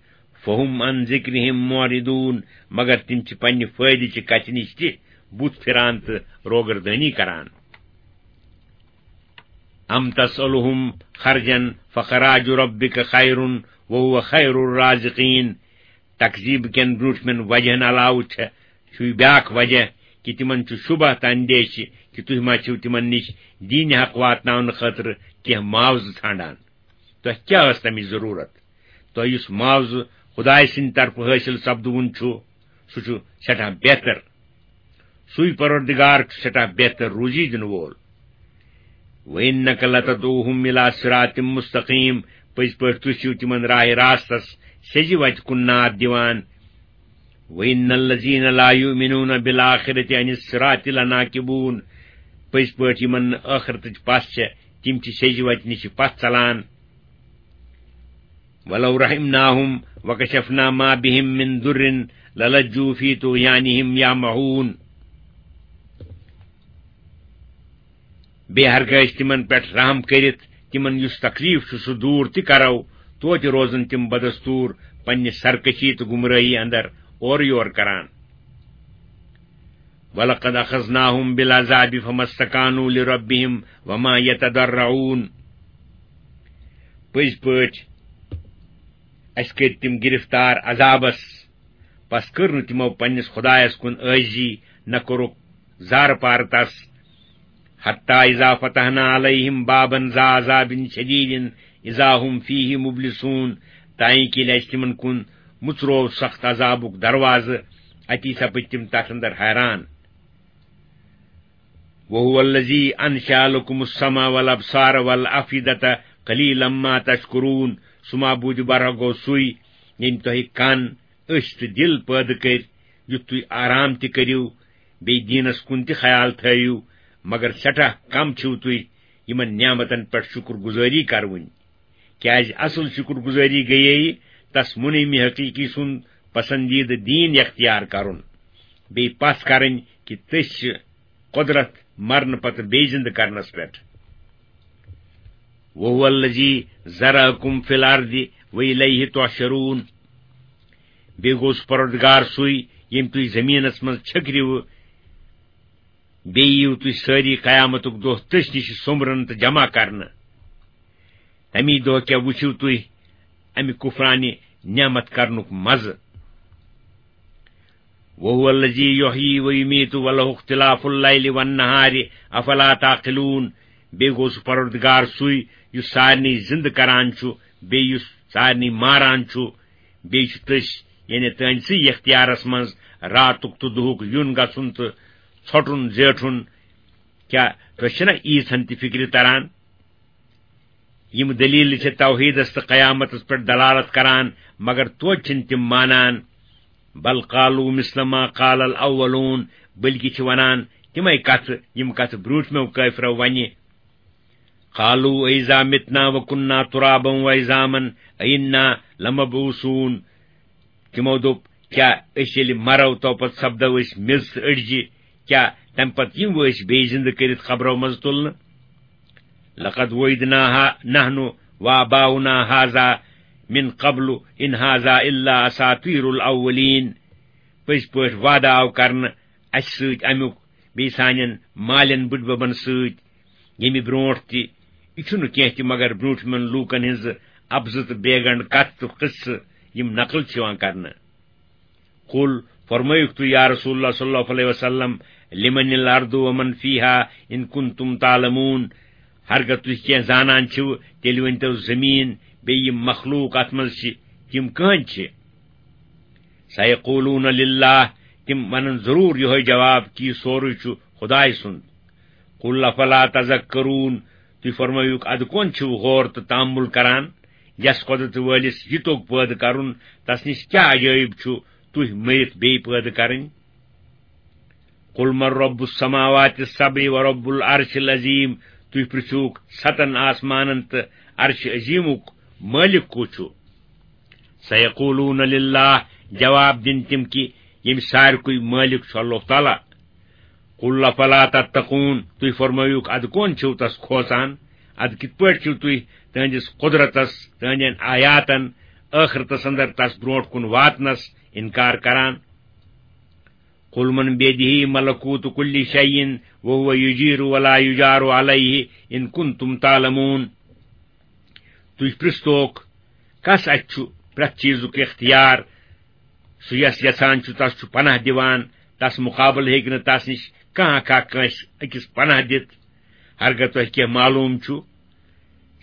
فہم عن ذکرہم معرضون، مگر تِم چھِ پننہِ فٲیدٕ چہِ کتھِ نِش تہِ بُتھ پھران تہٕ روگردٲنی کران۔ ام تسألہم خرجا فخراج ربک خیر وہو خیر الرازقین۔ تکذیب کٮ۪ن برٛونٛٹھمٮ۪ن وجہن علاوٕ چھےٚ، چھُے بیٛاکھ وجہ کہِ تِمن چھُ شبہ تہٕ اندیشہِ کہِ تُہۍ ما چھِو تِمن نِش دیٖنِ حق واتناونہٕ خٲطرٕ کینٛہہ معاوضہٕ ژھانڈان۔ تۄہہِ کیٛاہ ٲس تمِچ ضروٗرت؟ تۄہہِ یُس معاوضہٕ خدایہِ سٕنٛدِ طرفہٕ حٲصِل سپدوُن چھُ، سُہ چھُ سٮ۪ٹھاہ بہتر۔ سُے پروردگار چھُ سٮ۪ٹھاہ بہتر روزی دِنہٕ وول۔ وَإِنَّكَ لَتَدْعُوهُمْ إِلَىٰ صِرَاطٍ مُّسْتَقِيمٍ، پٔزۍ پٲٹھۍ تُہۍ چھِو تِمن راہِ راستس سیٚزِ وتہِ کُن ناد دِوان۔ وَإِنَّ الَّذِينَ لَا يُؤْمِنُونَ بِالْآخِرَةِ عَنِ الصِّرَاطِ لَنَاكِبُونَ، پٔزۍ پٲٹھۍ یِمن نہٕ ٲخرتٕچ پژھ چھےٚ، تِم چھِ سیٚزِ وتہِ نِش پتھ ژلان۔ وَلَوْ رَحِمْنَاهُمْ وَكَشَفْنَا مَا بِهِمْ مِنْ ضُرٍّ لَلَجُّوا فِي طُغْيَانِهِمْ يَعْمَهُونَ۔ بیٚیہِ ہرگاہ أسۍ تِمن پٮ۪ٹھ رحم کٔرِتھ تِمن یُس تکلیف چھُ سُہ دوٗر تہِ کرو، توتہِ روزن تِم بدستوٗر پننہِ سرکشی تہٕ گمرٲہی اندر اورٕ یور کران۔ وَلَقَدْ أَخَذْنَاهُمْ بِالْعَذَابِ فَمَا اسْتَكَانُوا لِرَبِّهِمْ وَمَا يَتَضَرَّعُونَ۔ پٔزۍ پٲٹھۍ، اسہِ کٔرۍ تِم گرفتار عذابس۔ پس کٔر نہٕ تِمو پننِس خدایس کُن عٲجزی، نہ کوٚرُکھ زارٕ پارٕ تس۔ حتی اذا فتحنا علیہم بابا ذا عذاب شدید اذا هم فیہ مبلسون، تائیں کہ ییٚلہِ اسہِ تِمن کُن مُژروو سخت عذابُک دروازٕ، اتی سپٕدۍ تِم تتھ اندر حیران۔ وهو الذی انشأ لکم السمع والابصار والافئدة قلیلا ما تشکرون۔ سُہ معبوٗدِ برحق گوٚو سُے، ییٚمۍ تۄہہِ کن، أچھ تہٕ دِل پٲدٕ کٔرۍ، یُتھ تُہۍ آرام تہِ کٔرِو، بیٚیہِ دیٖنس کُن تہِ خیال تھٲیِو، مگر سٮ۪ٹھاہ کم چھِو تُہۍ یِمن نعمتن پٮ۪ٹھ شُکر گُزٲری کرٕوٕنۍ۔ کیازِ اصل شُکر گُزٲری گٔیے تس مُنعمِ حقیقی سُنٛد پسندیدٕ دیٖن اختیار کرُن، بیٚیہِ پژھ کرٕنۍ کہِ تٔسۍ چھِ قۄدرت مرنہٕ پتہٕ بیٚیہِ زِندٕ کرنس پٮ۪ٹھ۔ وهو الذی ذرأکم فی الارض والیہ تحشرون۔ بیٚیہِ گوٚو سُہ پروردگار سُے، ییٚمۍ تُہۍ زٔمیٖنس منٛز چھٔکرِوٕ، بیٚیہِ یِیِو تُہۍ سٲری قیامتُک دۄہ تٔسۍ نِش سوٚمبرنہٕ تہٕ جمع کرنہٕ۔ تَمی دۄہ کیٛاہ وٕچھِو تُہۍ اَمہِ کُفرانہِ نعمت کرنُک مزٕ؟ وهو الذی یحیی و یمیت و لہ اختلاف اللیل والنہار افلا تعقلون۔ بیٚیہِ گوٚو سُہ پروردگار سُے، یُس سارنٕے زِندٕ کران چھُ، بیٚیہِ یُس سارنٕے ماران چھُ۔ بیٚیہِ چھُ تٔسۍ، یعنی تُہنٛدسٕے اختیارس منٛز، راتُک تہٕ دُہُک یُن گژھُن تہٕ ژھۄٹُن زیٹھُن۔ کیٛاہ تۄہہِ چھِنہ ییٖژہن تہِ فِکرِ تران؟ یِم دٔلیٖلہٕ چھِ توحیٖدس تہٕ قیامتس پٮ۪ٹھ دلالت کران، مگر توتہِ چھِنہٕ تِم مانان۔ بل قالوا مثل ما قال الاولون، بلکہِ چھِ ونان تِمے کتھٕ، یِم کتھٕ برٛونٛٹھمیو کٲفرو ونہِ۔ قالوا أإذا متنا وكنا ترابا وعظاما أإنا لمبعوثون۔ تِمو دوٚپ، کیٛاہ أسۍ ییٚلہِ مرو تو پتہٕ سپدو أسۍ میٚژ تہٕ أڈجہِ؟ کیٛاہ تمہِ پتہٕ یِمو أسۍ بیٚیہِ زِندٕ کٔرِتھ قبرو منٛزٕ تُلنہٕ؟ لقد وعدنا نحن وآباؤنا هذا من قبل إن هذا إلا أساطير الأولين۔ پٔزۍ پٲٹھۍ وعدٕ آو کرنہٕ اسہِ سۭتۍ امیُک، بیٚیہِ سانٮ۪ن مالٮ۪ن بٕڈببن سۭتۍ، ییٚمہِ برٛونٛٹھ تہِ۔ یہِ چھُنہٕ کینٛہہ تہِ مگر برٛونٛٹھمٮ۪ن لوٗکن ہٕنٛزٕ اَپزٕ تہٕ بیگنڈ کتھٕ تہٕ قصہٕ، یِم نقل چھِ یِوان کرنہٕ۔ قل، فرمٲیِو تُہۍ یا رسول اللہ صلی اللہ علیہ وسلم، لمن الارض ومن فیہا ان کنتم تعلمون۔ ہرگاہ تُہۍ کینٛہہ زانان چھِو، تیٚلہِ ؤنۍتو زٔمیٖن بیٚیہِ یِم مخلوق اتھ منٛز چھِ، تِم کٕہٕنٛدۍ چھِ؟ سیقولون للہ، تِم ونن ضروٗر یِہوٚے جواب کہِ یہِ سورُے چھُ خدایہِ سُنٛد۔ قل افلا تذکرون، تُہۍ فرمٲیِو، ادٕ کون چھِو غور تہٕ تامُل کران؟ یس قۄدرت وٲلِس یہِ توٚگ پٲدٕ کرُن، تس نِش کیٛاہ عجٲیب چھُ تُہۍ مٔرِتھ بیٚیہِ پٲدٕ کرٕنۍ؟ قل من رب السماوات السبع ورب العرش العظیم، تُہۍ پرٛژھِوُکھ ستن آسمانن تہٕ عرش عظیمُک مٲلِک کُس چھُ؟ سیقولون للہ، جواب دِن تِم کہِ ییٚمہِ سارِکُے مٲلِک چھُ اللہ تعالیٰ۔ قل افلا تتقون، تُہۍ فرمٲیِوکھ، ادٕ کون چھِو تس کھوژان؟ ادٕ کِتھ پٲٹھۍ چھِو تُہۍ تٕہٕنٛدِس قۄدرتس، تٕہٕنٛدٮ۪ن آیاتن، ٲخرتس اندر تس برٛونٛٹھ کُن واتنس انکار کران؟ قل من بیدہ ملکوت کل شیء وهو یجیر ولا یجار علیہ ان کنتم تعلمون۔ تُہۍ پرٛژھتوکھ، کس اتھِ چھُ پرٛٮ۪تھ چیٖزُک اختیار؟ سُہ یس یژھان چھُ، تس چھُ پناہ دِوان، تس مُقابلہٕ ہیٚکہِ نہٕ تس نِش کانٛہہ اکھا کٲنٛسہِ أکِس پناہ دِتھ۔ ہرگاہ تۄہہِ کینٛہہ معلوٗم چھُ،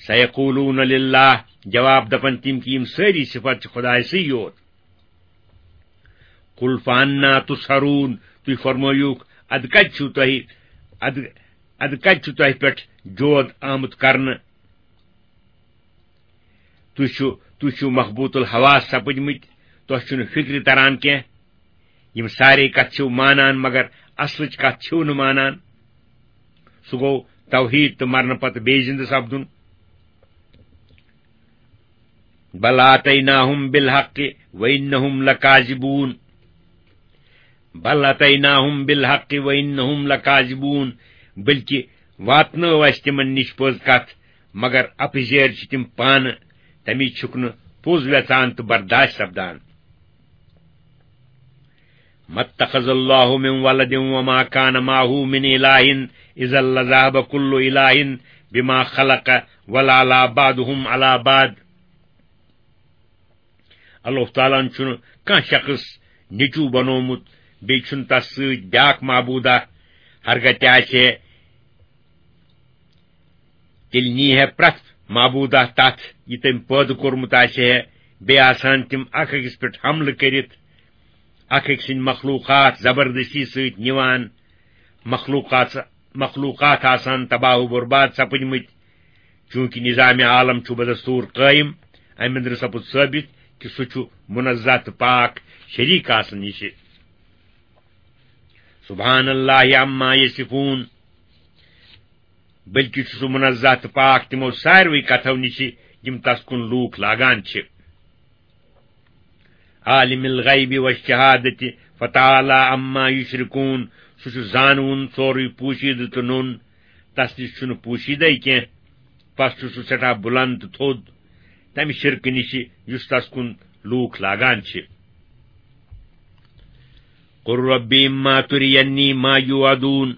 سیقولون للہ، جواب دپن تِم کہِ یِم سٲری صفت چھِ خدایہِ سٕے یوت۔ قل فانا تسحرون، تُہۍ فرمٲیِوکھ، ادٕ کتہِ چھِو تۄہہِ، ادٕ، ادٕ کتہِ چھُ تۄہہِ پٮ۪ٹھ جود آمُت کرنہٕ؟ تُہۍ چھِو، تُہۍ چھِو مخبوط الحواس سپٕدمٕتۍ، تۄہہِ چھُنہٕ فِکرِ تران کینٛہہ۔ یِم سارے کتھٕ چھِو مانان، مگر اصلٕچ کتھ چھِو نہٕ مانان۔ سُہ گوٚو توحیٖد تہٕ مرنہٕ پتہٕ بیٚیہِ زِندٕ سپدُن۔ بل آتیناہم بالحق وانہم لکاذبون۔ بل اتیناہم بالحق وانہم لکاذبون، بلکہ واتنٲو اسہِ تِمن نِش پٔز کتھ، مگر اپزیر چھِ تِم پانہٕ، تمی چھُکھ نہٕ پوٚز ویژان تہٕ برداشت سپدان۔ ما اتخذ اللہ من ولد وما کان معہ من الہ اذا لذہب کل الہ بما خلق ولا لا بعضهم علی بعض۔ اللہ تعالیٰ ہن چھُنہٕ کانٛہہ شخص نیٚچوٗ بنوومُت، بیٚیہِ چھُنہٕ تس سۭتۍ بیٛاکھ معبوٗدہ۔ ہرگاہ تہِ آسہِ ہے، تیٚلہِ نی ہے پرٛٮ۪تھ معبوٗدہ تتھ، یہِ تٔمۍ پٲدٕ کوٚرمُت آسہِ ہے۔ بیٚیہِ آسہٕ ہن تِم اکھ أکِس پٮ۪ٹھ حملہٕ کٔرِتھ، اکھ أکۍ سٕنٛدۍ مخلوٗقات زبردستی سۭتۍ نِوان۔ مخلوٗقات، مخلوٗقات آسہٕ ہن تباہ و برباد سپٕدمٕتۍ۔ چوٗنٛکہِ نظام عالم چھُ بدستوٗر قٲیِم، امہِ اندرٕ سپُد ثٲبت کہِ سُہ چھُ منزہ تہٕ پاک شریٖک آسنہٕ نِشہِ۔ سبحان اللہ عما یصفون، بلکہِ چھُ سُہ منزہ تہٕ پاک تِمو ساروٕے کتھو نِشہِ، یِم تس کُن لوٗکھ لاگان چھِ۔ عالم الغیب والشہادت فتعالی عما یشرکون، سُہ چھُ زانوُن سورُے پوشیدٕ تہٕ نوٚن، تس نِش چھُنہٕ پوشیدے کینٛہہ، پس چھُ سُہ سٮ۪ٹھاہ بُلند تہٕ تھوٚد تمہِ شرکہٕ نِشہِ یُس تس کُن لوٗکھ لاگان چھِ۔ قل رب اما ترینی ما یوعدون،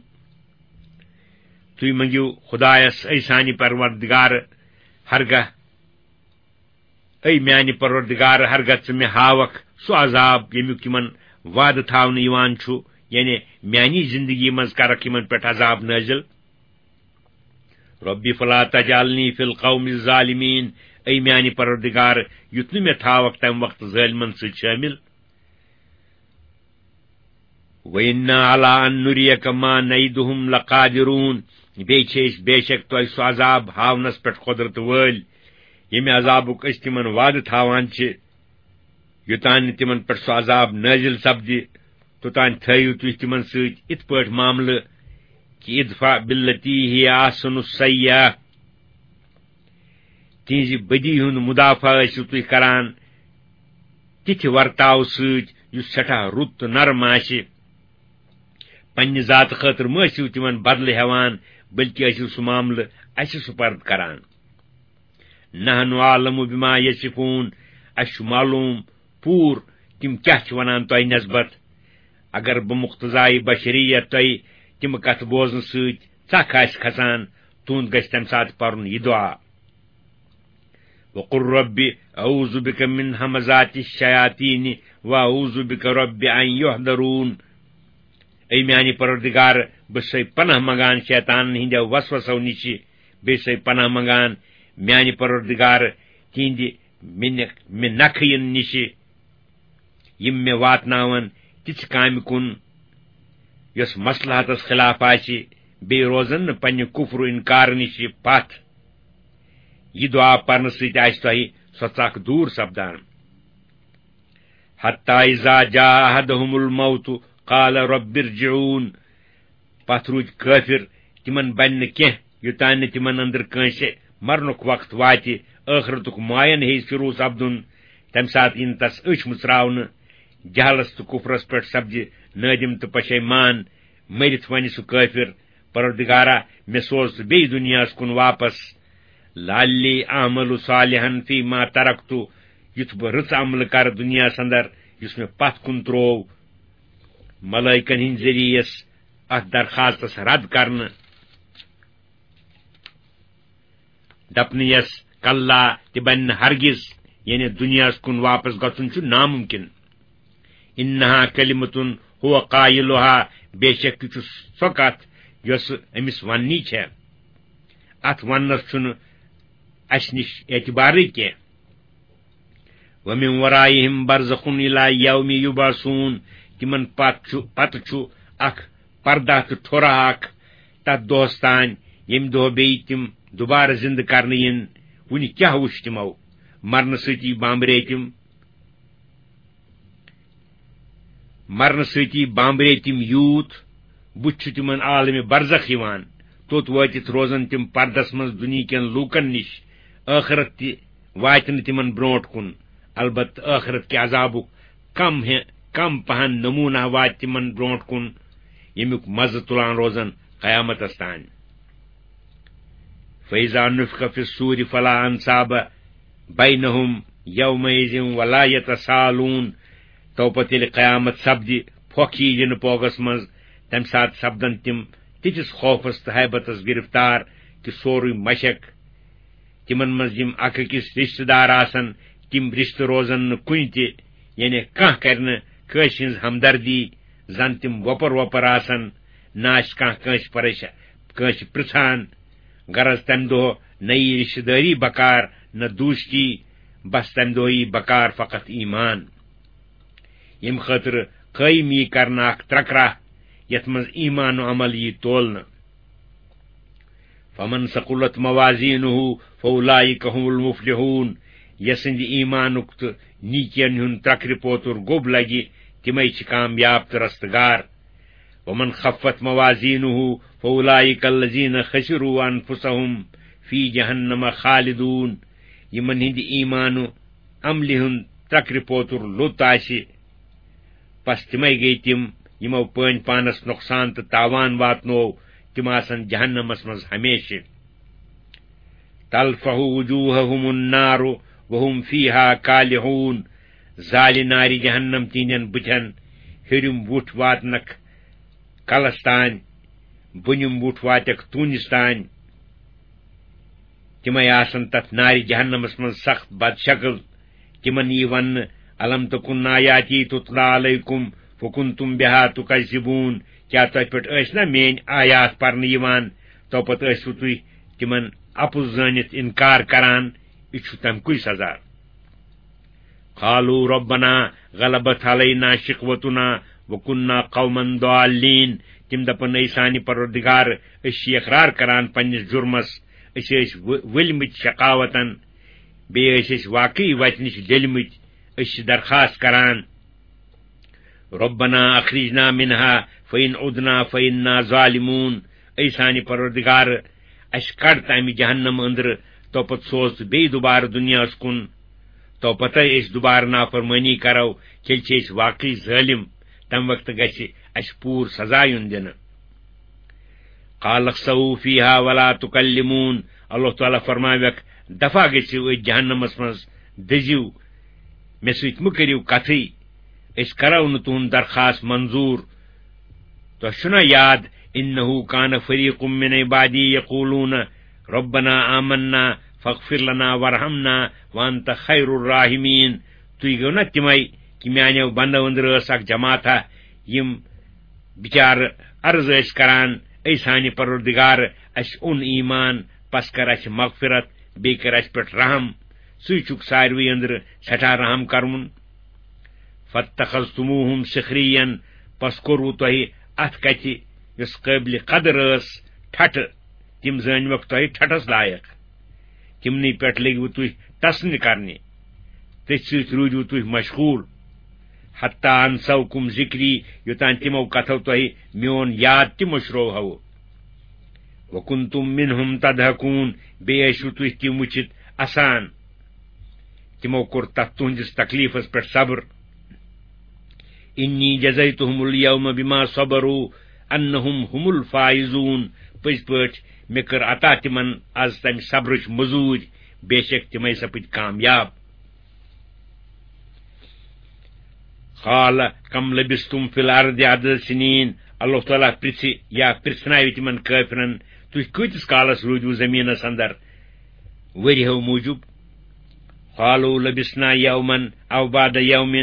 تُہۍ منٛگِو خدایس، اے سانہِ پروردگار، ہرگاہ اے میانہِ پروردگار، ہرگاہ ژٕ مےٚ ہاوکھ سُہ عذاب، ییٚمیُک یِمن وعدٕ تھاونہٕ یِوان چھُ، یعنی میانی زندگی منٛز کرکھ یِمن پٮ۪ٹھ عذاب نٲزِل۔ رب فلا تجعلنی فی القوم الظالمین، اے میانہِ پروردگار، یُتھ نہٕ مےٚ تھاوکھ تمہِ وقتہٕ ظٲلمن سۭتۍ شٲمِل۔ وَإِنَّا عَلَىٰ أَن نُرِيَكَ مَا نَعِدُهُمْ لَقَادِرُونَ، بیٚیہِ چھِ أسۍ بے شک تۄہہِ سُہ عذاب ہاونس پٮ۪ٹھ قۄدرت وٲلۍ، ییٚمہِ عذابُک أسۍ تِمن وعدٕ تھاوان چھِ۔ یوٚتام نہٕ تِمن پٮ۪ٹھ سُہ عذاب نٲزِل سپدِ، توٚتام تھٲیِو تُہۍ تِمن سۭتۍ یِتھ پٲٹھۍ معاملہٕ کہِ ادفع بالتی ہی احسن السیئہ، تِہنٛزِ بدی ہُنٛد مدافعہ ٲسِو تُہۍ کران تِتھِ ورتاو سۭتۍ یُس سٮ۪ٹھاہ رُت تہٕ نرم آسہِ۔ پننہِ ذاتہٕ خٲطرٕ مہ ٲسِو تِمن بدلہٕ ہٮ۪وان، بلکہِ ٲسِو سُہ معاملہٕ اسہِ سپرد کران۔ نحن اعلم بما یصفون، اسہِ چھُ معلوم پوٗرٕ تِم کیٛاہ چھِ ونان تۄہہِ نسبت۔ اگر بمقتضای بشریت تۄہہِ تِم کتھٕ بوزنہٕ سۭتۍ ژکھ آسہِ کھسان، تُہُنٛد گژھِ تمہِ ساتہٕ پرُن یہِ دعا۔ وقل رب اعوذ بك من همزات الشياطين واعوذ بك رب ان يحضرون۔ اے میانہِ پروردگار، بہٕ چھُسے پناہ منگان شیطانن ہٕنٛدیو وسوسو نِشہِ، بیٚیہِ چھُسے پناہ منگان میانہِ پروردگار تِہنٛدِ مےٚ نہ-، مےٚ نکھٕ یِن نِشہِ، یِم مےٚ واتناون تِژھِ کامہِ کُن، یۄس مصلحتس خلاف آسہِ، بیٚیہِ روزن نہٕ پننہِ کفر و انکار نِشہِ پتھ۔ یہِ دعا پرنہٕ سۭتۍ آسہِ تۄہہِ سۄ ژکھ دوٗر سپدان۔ حتی اذا جاء احدهم الموت قال رب ارجعون۔ پتھ روٗدۍ کٲفِر، تِمن بنہِ نہٕ کینٛہہ، یوٚتام نہٕ تِمن أنٛدرٕ کٲنٛسہِ مرنُک وقت واتہِ، ٲخرتُک معین ہیٚیہِ شروٗع سپدُن۔ تمہِ ساتہٕ یِن تس أچھ مُژراونہٕ۔ جہلس تہٕ کُفرس پٮ۪ٹھ سپدِ نٲدِم تہٕ پشیمان۔ مٔرِتھ ونہِ سُہ کٲفِر، پروردگارا، مےٚ سوز ژٕ بیٚیہِ دُنیاہس کُن واپس۔ لعلی اعمل صالحا فیما ترکت، یُتھ بہٕ رٕژ عملہٕ کرٕ دُنیاہس اندر، یُس مےٚ پتھ کُن تروو۔ ملائکن ہٕنٛدۍ ذٔریعس اتھ درخواستس رد کرنہٕ۔ دپنہٕ یس، کلا، تہِ بنہِ نہٕ ہرگز، یعنی دُنیاہس کُن واپس گژھُن چھُ ناممکن۔ انہا کلمتن ہو قائلہا، بے شک یہِ چھُ سۄ کتھ یۄس أمِس وننی چھےٚ۔ اتھ وننس چھُنہٕ اسہِ نِش اعتبارٕے کینٛہہ۔ ومن ورائہم برزخ الی یوم یبعثون، تِمن پتہٕ چھُ، پتہٕ چھُ اکھ پردہ تہٕ ٹھوٚرہ اکھ تتھ دۄہس تام، ییٚمہِ دۄہ بیٚیہِ تِم دوبارٕ زندٕ کرنہٕ یِن۔ وُنہِ کیٛاہ وُچھ تِمو؟ مرنہٕ سۭتی بامبرے تِم۔ مرنہٕ سۭتی بامبرے تِم یوٗت، بُتھِ چھُ تِمن عالمِ برزخ یِوان۔ توٚت وٲتِتھ روزن تِم پردس منٛز دُنیہکٮ۪ن لوٗکن نِش۔ ٲخرت تہِ واتہِ نہٕ تِمن برونٛٹھ کُن۔ البتہٕ ٲخرت کہِ عذابُک کم ہے، کم پہن نمونہ واتہِ تِمن برونٛٹھ کُن، ییٚمیُک مزٕ تُلان روزن قیامتس تام۔ فَإِذَا نُفِخَ فِي الصُّورِ فَلَا أَنْسَابَ بَيْنَهُمْ يَوْمَئِذٍ وَلَا يَتَسَاءَلُونَ۔ تو پتہٕ ییٚلہِ قیامت سپدِ، پھۄکھ یی یِنہٕ پوگس منٛز، تمہِ ساتہٕ سپدن تِم تِتھِس خوفس تہٕ ہیبتس گرفتار کہِ سورُے مشک تِمن منٛز یِم اکھ أکِس رشتہٕ دار آسن، تِم رشتہٕ روزن نہٕ کُنہِ تہِ، یعنی کانٛہہ کرِ نہٕ کٲنٛسہِ ہٕنٛز ہمدردی، زن تِم وۄپر وۄپر آسن، نہ آسہِ کانٛہہ کٲنٛسہِ پریشان، کٲنٛسہِ پرژھان۔ غرض، تمہِ دۄہ نہ یی رشتہٕ دٲری بکار، نہ دوستی، بس تمہِ دۄہ یی بکار فقط ایمان۔ ییٚمہِ خٲطرٕ قٲیِم یی کرنہٕ اکھ ترکراہ، یتھ منٛز ایمان و عمل یی تولنہٕ۔ فمن ثقلت موازینہ فاولئک هم المفلحون، یسٕنٛدِ ایمانُک تہٕ نیکین ہُنٛد ترکرِ پوتُر گوٚب لگہِ، تِمے چھِ کامیاب تہٕ رستگار۔ ومن خفت موازینہ فاولئک الذین خسروا انفسهم فی جہنم خالدون، یِمن ہٕنٛدِ ایمان و عملہِ ہُنٛد ترکرِ پوتُر لوٚت آسہِ، پس تِمے گٔیہِ تِم، یِمو پٲنۍ پانس نۄقصان تہٕ تاوان واتنوو، تِم آسن جہنمس منٛز ہمیشہِ۔ تلفح وجوہہم النار وہم فیہا کالحون، زالہِ نارِ جہنم تِہنٛدٮ۪ن بُتھٮ۪ن، ہیوٚرِم وُٹھ واتنکھ کلس تام، بۄنِم وُٹھ واتٮ۪کھ توٗنِس تام۔ تِمے آسن تتھ نارِ جہنمس منٛز سخت بدشکل۔ تِمن یی وننہٕ، الم تکن آیاتی تتلی علیکم فکنتم بہا تکذبون، کیٛاہ تۄہہِ پٮ۪ٹھ ٲسۍ نا میٲنۍ آیات پرنہٕ یِوان، تو پتہٕ ٲسوٕ تُہۍ تِمن اپُز زٲنِتھ انکار کران؟ یہِ چھُ تمکُے سزا۔ قالوا ربنا غلبت علینا شقوتنا وكنا قوما ضالين۔ تِم دپن، اے سانہِ پروردگار، أسۍ چھِ اقرار کران پننِس جرمس، أسۍ ٲسۍ و-، ؤلۍ مٕتۍ شقاوتن، بیٚیہِ ٲسۍ أسۍ واقعی وتہِ نِش ڈٔلۍ مٕتۍ، أسۍ چھِ درخواست کران، ربنا اخرجنا منها فإن عدنا فإنا ظالمون۔ اے سانہِ پروردگار، اسہِ کڑ تمہِ جہنم أنٛدرٕ، تو پتہٕ سوز ژٕ بیٚیہِ دُبارٕ دُنیاہس کُن، تو پتے أسۍ دُبارٕ نافرمٲنی کرو، تیٚلہِ چھِ أسۍ واقعی ظٲلم، تمہِ وقتہٕ گژھِ اسہِ پوٗرٕ سزا یُن دِنہٕ۔ قال اخسئوا فيها ولا تكلمون، اللہ تعالیٰ فرماویکھ، دفع گٔژھِو أتھۍ جہنمس منٛز، دٔزِو، مےٚ سۭتۍ مہٕ کٔرِو کتھٕے، أسۍ کرو نہٕ تُہُنٛد درخواست منظوٗر۔ تۄہہِ چھُنا یاد، انه كان فريق من عبادي يقولون ربنا آمنا فاغفر لنا وارحمنا وانت خير الراحمين۔ تُہۍ گٔو نا تِمے، کہِ میانیو بندو أنٛدرٕ ٲس اکھ جماعتھا، یِم بِچارٕ عرض ٲسۍ کران، اے سانہِ پروردگار، اسہِ اوٚن ایمان، پس کر اسہِ مغفرت، بیٚیہِ کر اسہِ پٮ۪ٹھ رحم، ژٕے چھُکھ ساروٕے أنٛدرٕ سٮ۪ٹھاہ رحم کرون۔ فاتخذتموهم سخريا، پس کوٚروٕ تۄہہِ اتھ کتھِ، یۄس قٲبلِ قدر ٲس، ٹھٹھٕ، تِم زٲنۍوکھ تۄہہِ ٹھٹھس لایق، تِمنٕے پٮ۪ٹھ لٔگۍوٕ تُہۍ ٹسنہِ کرنہِ، تٔتھۍ سۭتۍ روٗدۍوٕ تُہۍ مشغول۔ حتى انسوكم ذكري، یوٚتام تِمو کتھو تۄہہِ میون یاد تہِ مٔشرووہو۔ وكنتم منهم تضحكون، بیٚیہِ ٲسِو تُہۍ تِم وٕچھِتھ اسان۔ تِمو کوٚر تتھ تُہنٛدِس تکلیفس پٮ۪ٹھ صبر۔ إني جزيتهم اليوم بما صبروا أنهم هم الفائزون، پٔزۍ پٲٹھۍ مےٚ کٔر عطا تِمن از تمہِ صبرٕچ مٔزوٗرۍ، بے شک تِمے سپٕدۍ کامیاب۔ قال كم لبثتم في الأرض عدد سنين، اللہ تعالیٰ پرژھِ یا پرژھناوِ تِمن کٲفرن، تُہۍ کۭتِس کالس روٗدِو زٔمیٖنس اندر ؤرۍیو موٗجوٗب؟ قالوا لبثنا يوما أو بعض يوم،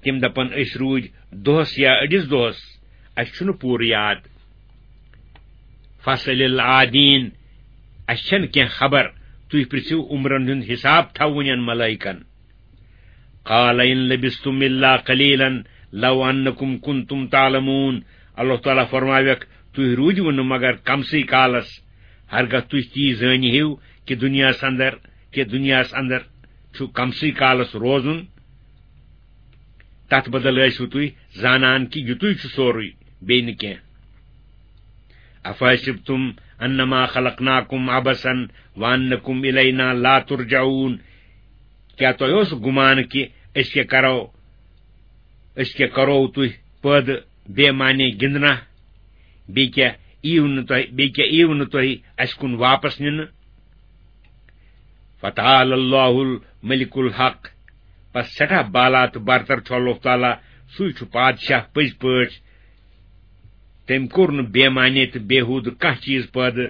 تِم دپن، أسۍ روٗدۍ دۄہس یا أڑِس دۄہس، اسہِ چھُنہٕ پوٗرٕ یاد۔ فاسأل العادين، اسہِ چھنہٕ کینٛہہ خبر، تُہۍ پرژھِو عمرن ہُنٛد حساب تھاوٕنٮ۪ن ملائکن۔ قال إن لبثتم إلا قليلا لو أنكم كنتم تعلمون، اللہ تعالیٰ فرماویکھ، تُہۍ روٗدِو نہٕ مگر کمسٕے کالس، ہرگاہ تُہۍ تی زٲنۍ ہیو کہِ دُنیاہس اندر، کہِ دُنیاہس اندر چھُ کمسٕے کالس روزُن، تتھ بدل ٲسِو تُہۍ زانان کہِ یُتُے چھُ سورُے، بیٚیہِ نہٕ کینٛہہ۔ أفحسبتم أنما خلقناكم عبثا وأنكم إلينا لا ترجعون، کیٛاہ تۄہہِ اوس گُمان کہِ أسۍ کیٛاہ کرو، أسۍ کیٛاہ کرو تُہۍ پٲدٕ بے معنی گِنٛدنہ؟ بیٚیہِ کیٛاہ یِیِو نہٕ تۄہہِ، بیٚیہِ کیٛاہ یِیِو نہٕ تۄہہِ اَسہِ کُن واپس نِنہٕ؟ فتعالى الله الملك الحق، پس سٮ۪ٹھاہ بالا تہٕ برتر چھُ اللہ تعالیٰ، سُے چھُ پادشاہ پٔزۍ پٲٹھۍ۔ تٔمۍ کوٚر نہٕ بے معنی تہٕ بیہوٗدٕ کانٛہہ چیٖز پٲدٕ۔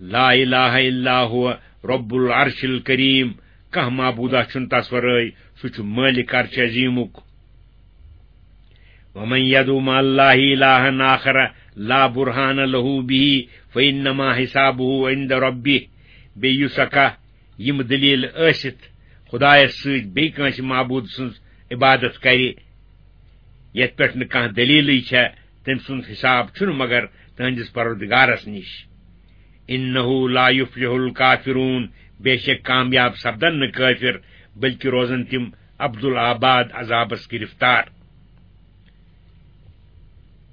لا إله إلا هو رب العرش الکریم، کانٛہہ معبوٗدا چھُنہٕ تس ورٲے، سُہ چھُ مٲلِک عرش عظیمُک۔ ومن يدع مع الله إلها آخر لا برهان له به فإنما حسابه عند ربه۔ بیٚیہِ یُس ہا کانٛہہ یِم دٔلیٖل ٲسِتھ خۄدایس سۭتۍ بیٚیہِ کٲنٛسہِ معبوٗد سٕنٛز عبادت کرِ، یتھ پٮ۪ٹھ نہٕ کانٛہہ دٔلیٖلٕے چھےٚ، تٔمۍ سُنٛد حساب چھُنہٕ مگر تٕہٕنٛدِس پروردگارس نِش۔ إنه لا يفلح الكافرون، بے شک کامیاب سپدن نہٕ کٲفر، بلکہِ روزن تِم ابدالآباد عذابس گرفتار۔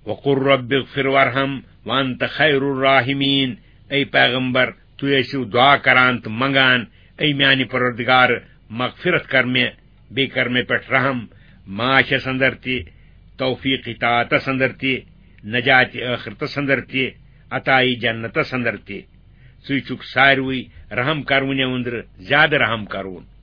وقل رب اغفر وارحم وانت خیر الراحمین۔ اے پیغمبر، تُہۍ ٲسِو دعا کران تہٕ منگان، اے میانہِ پروردگار، مغفرت کر مےٚ، بیٚیہِ کر مےٚ پٮ۪ٹھ رحم، معاشس اندر تہِ، توفیق اطاعتس اندر تہِ، نجات ٲخرتس اندر تہِ، عطائی جنتس اندر تہِ۔ ژٕے چھُکھ ساروٕے رحم کرونیو أنٛدرٕ زیادٕ رحم کرون۔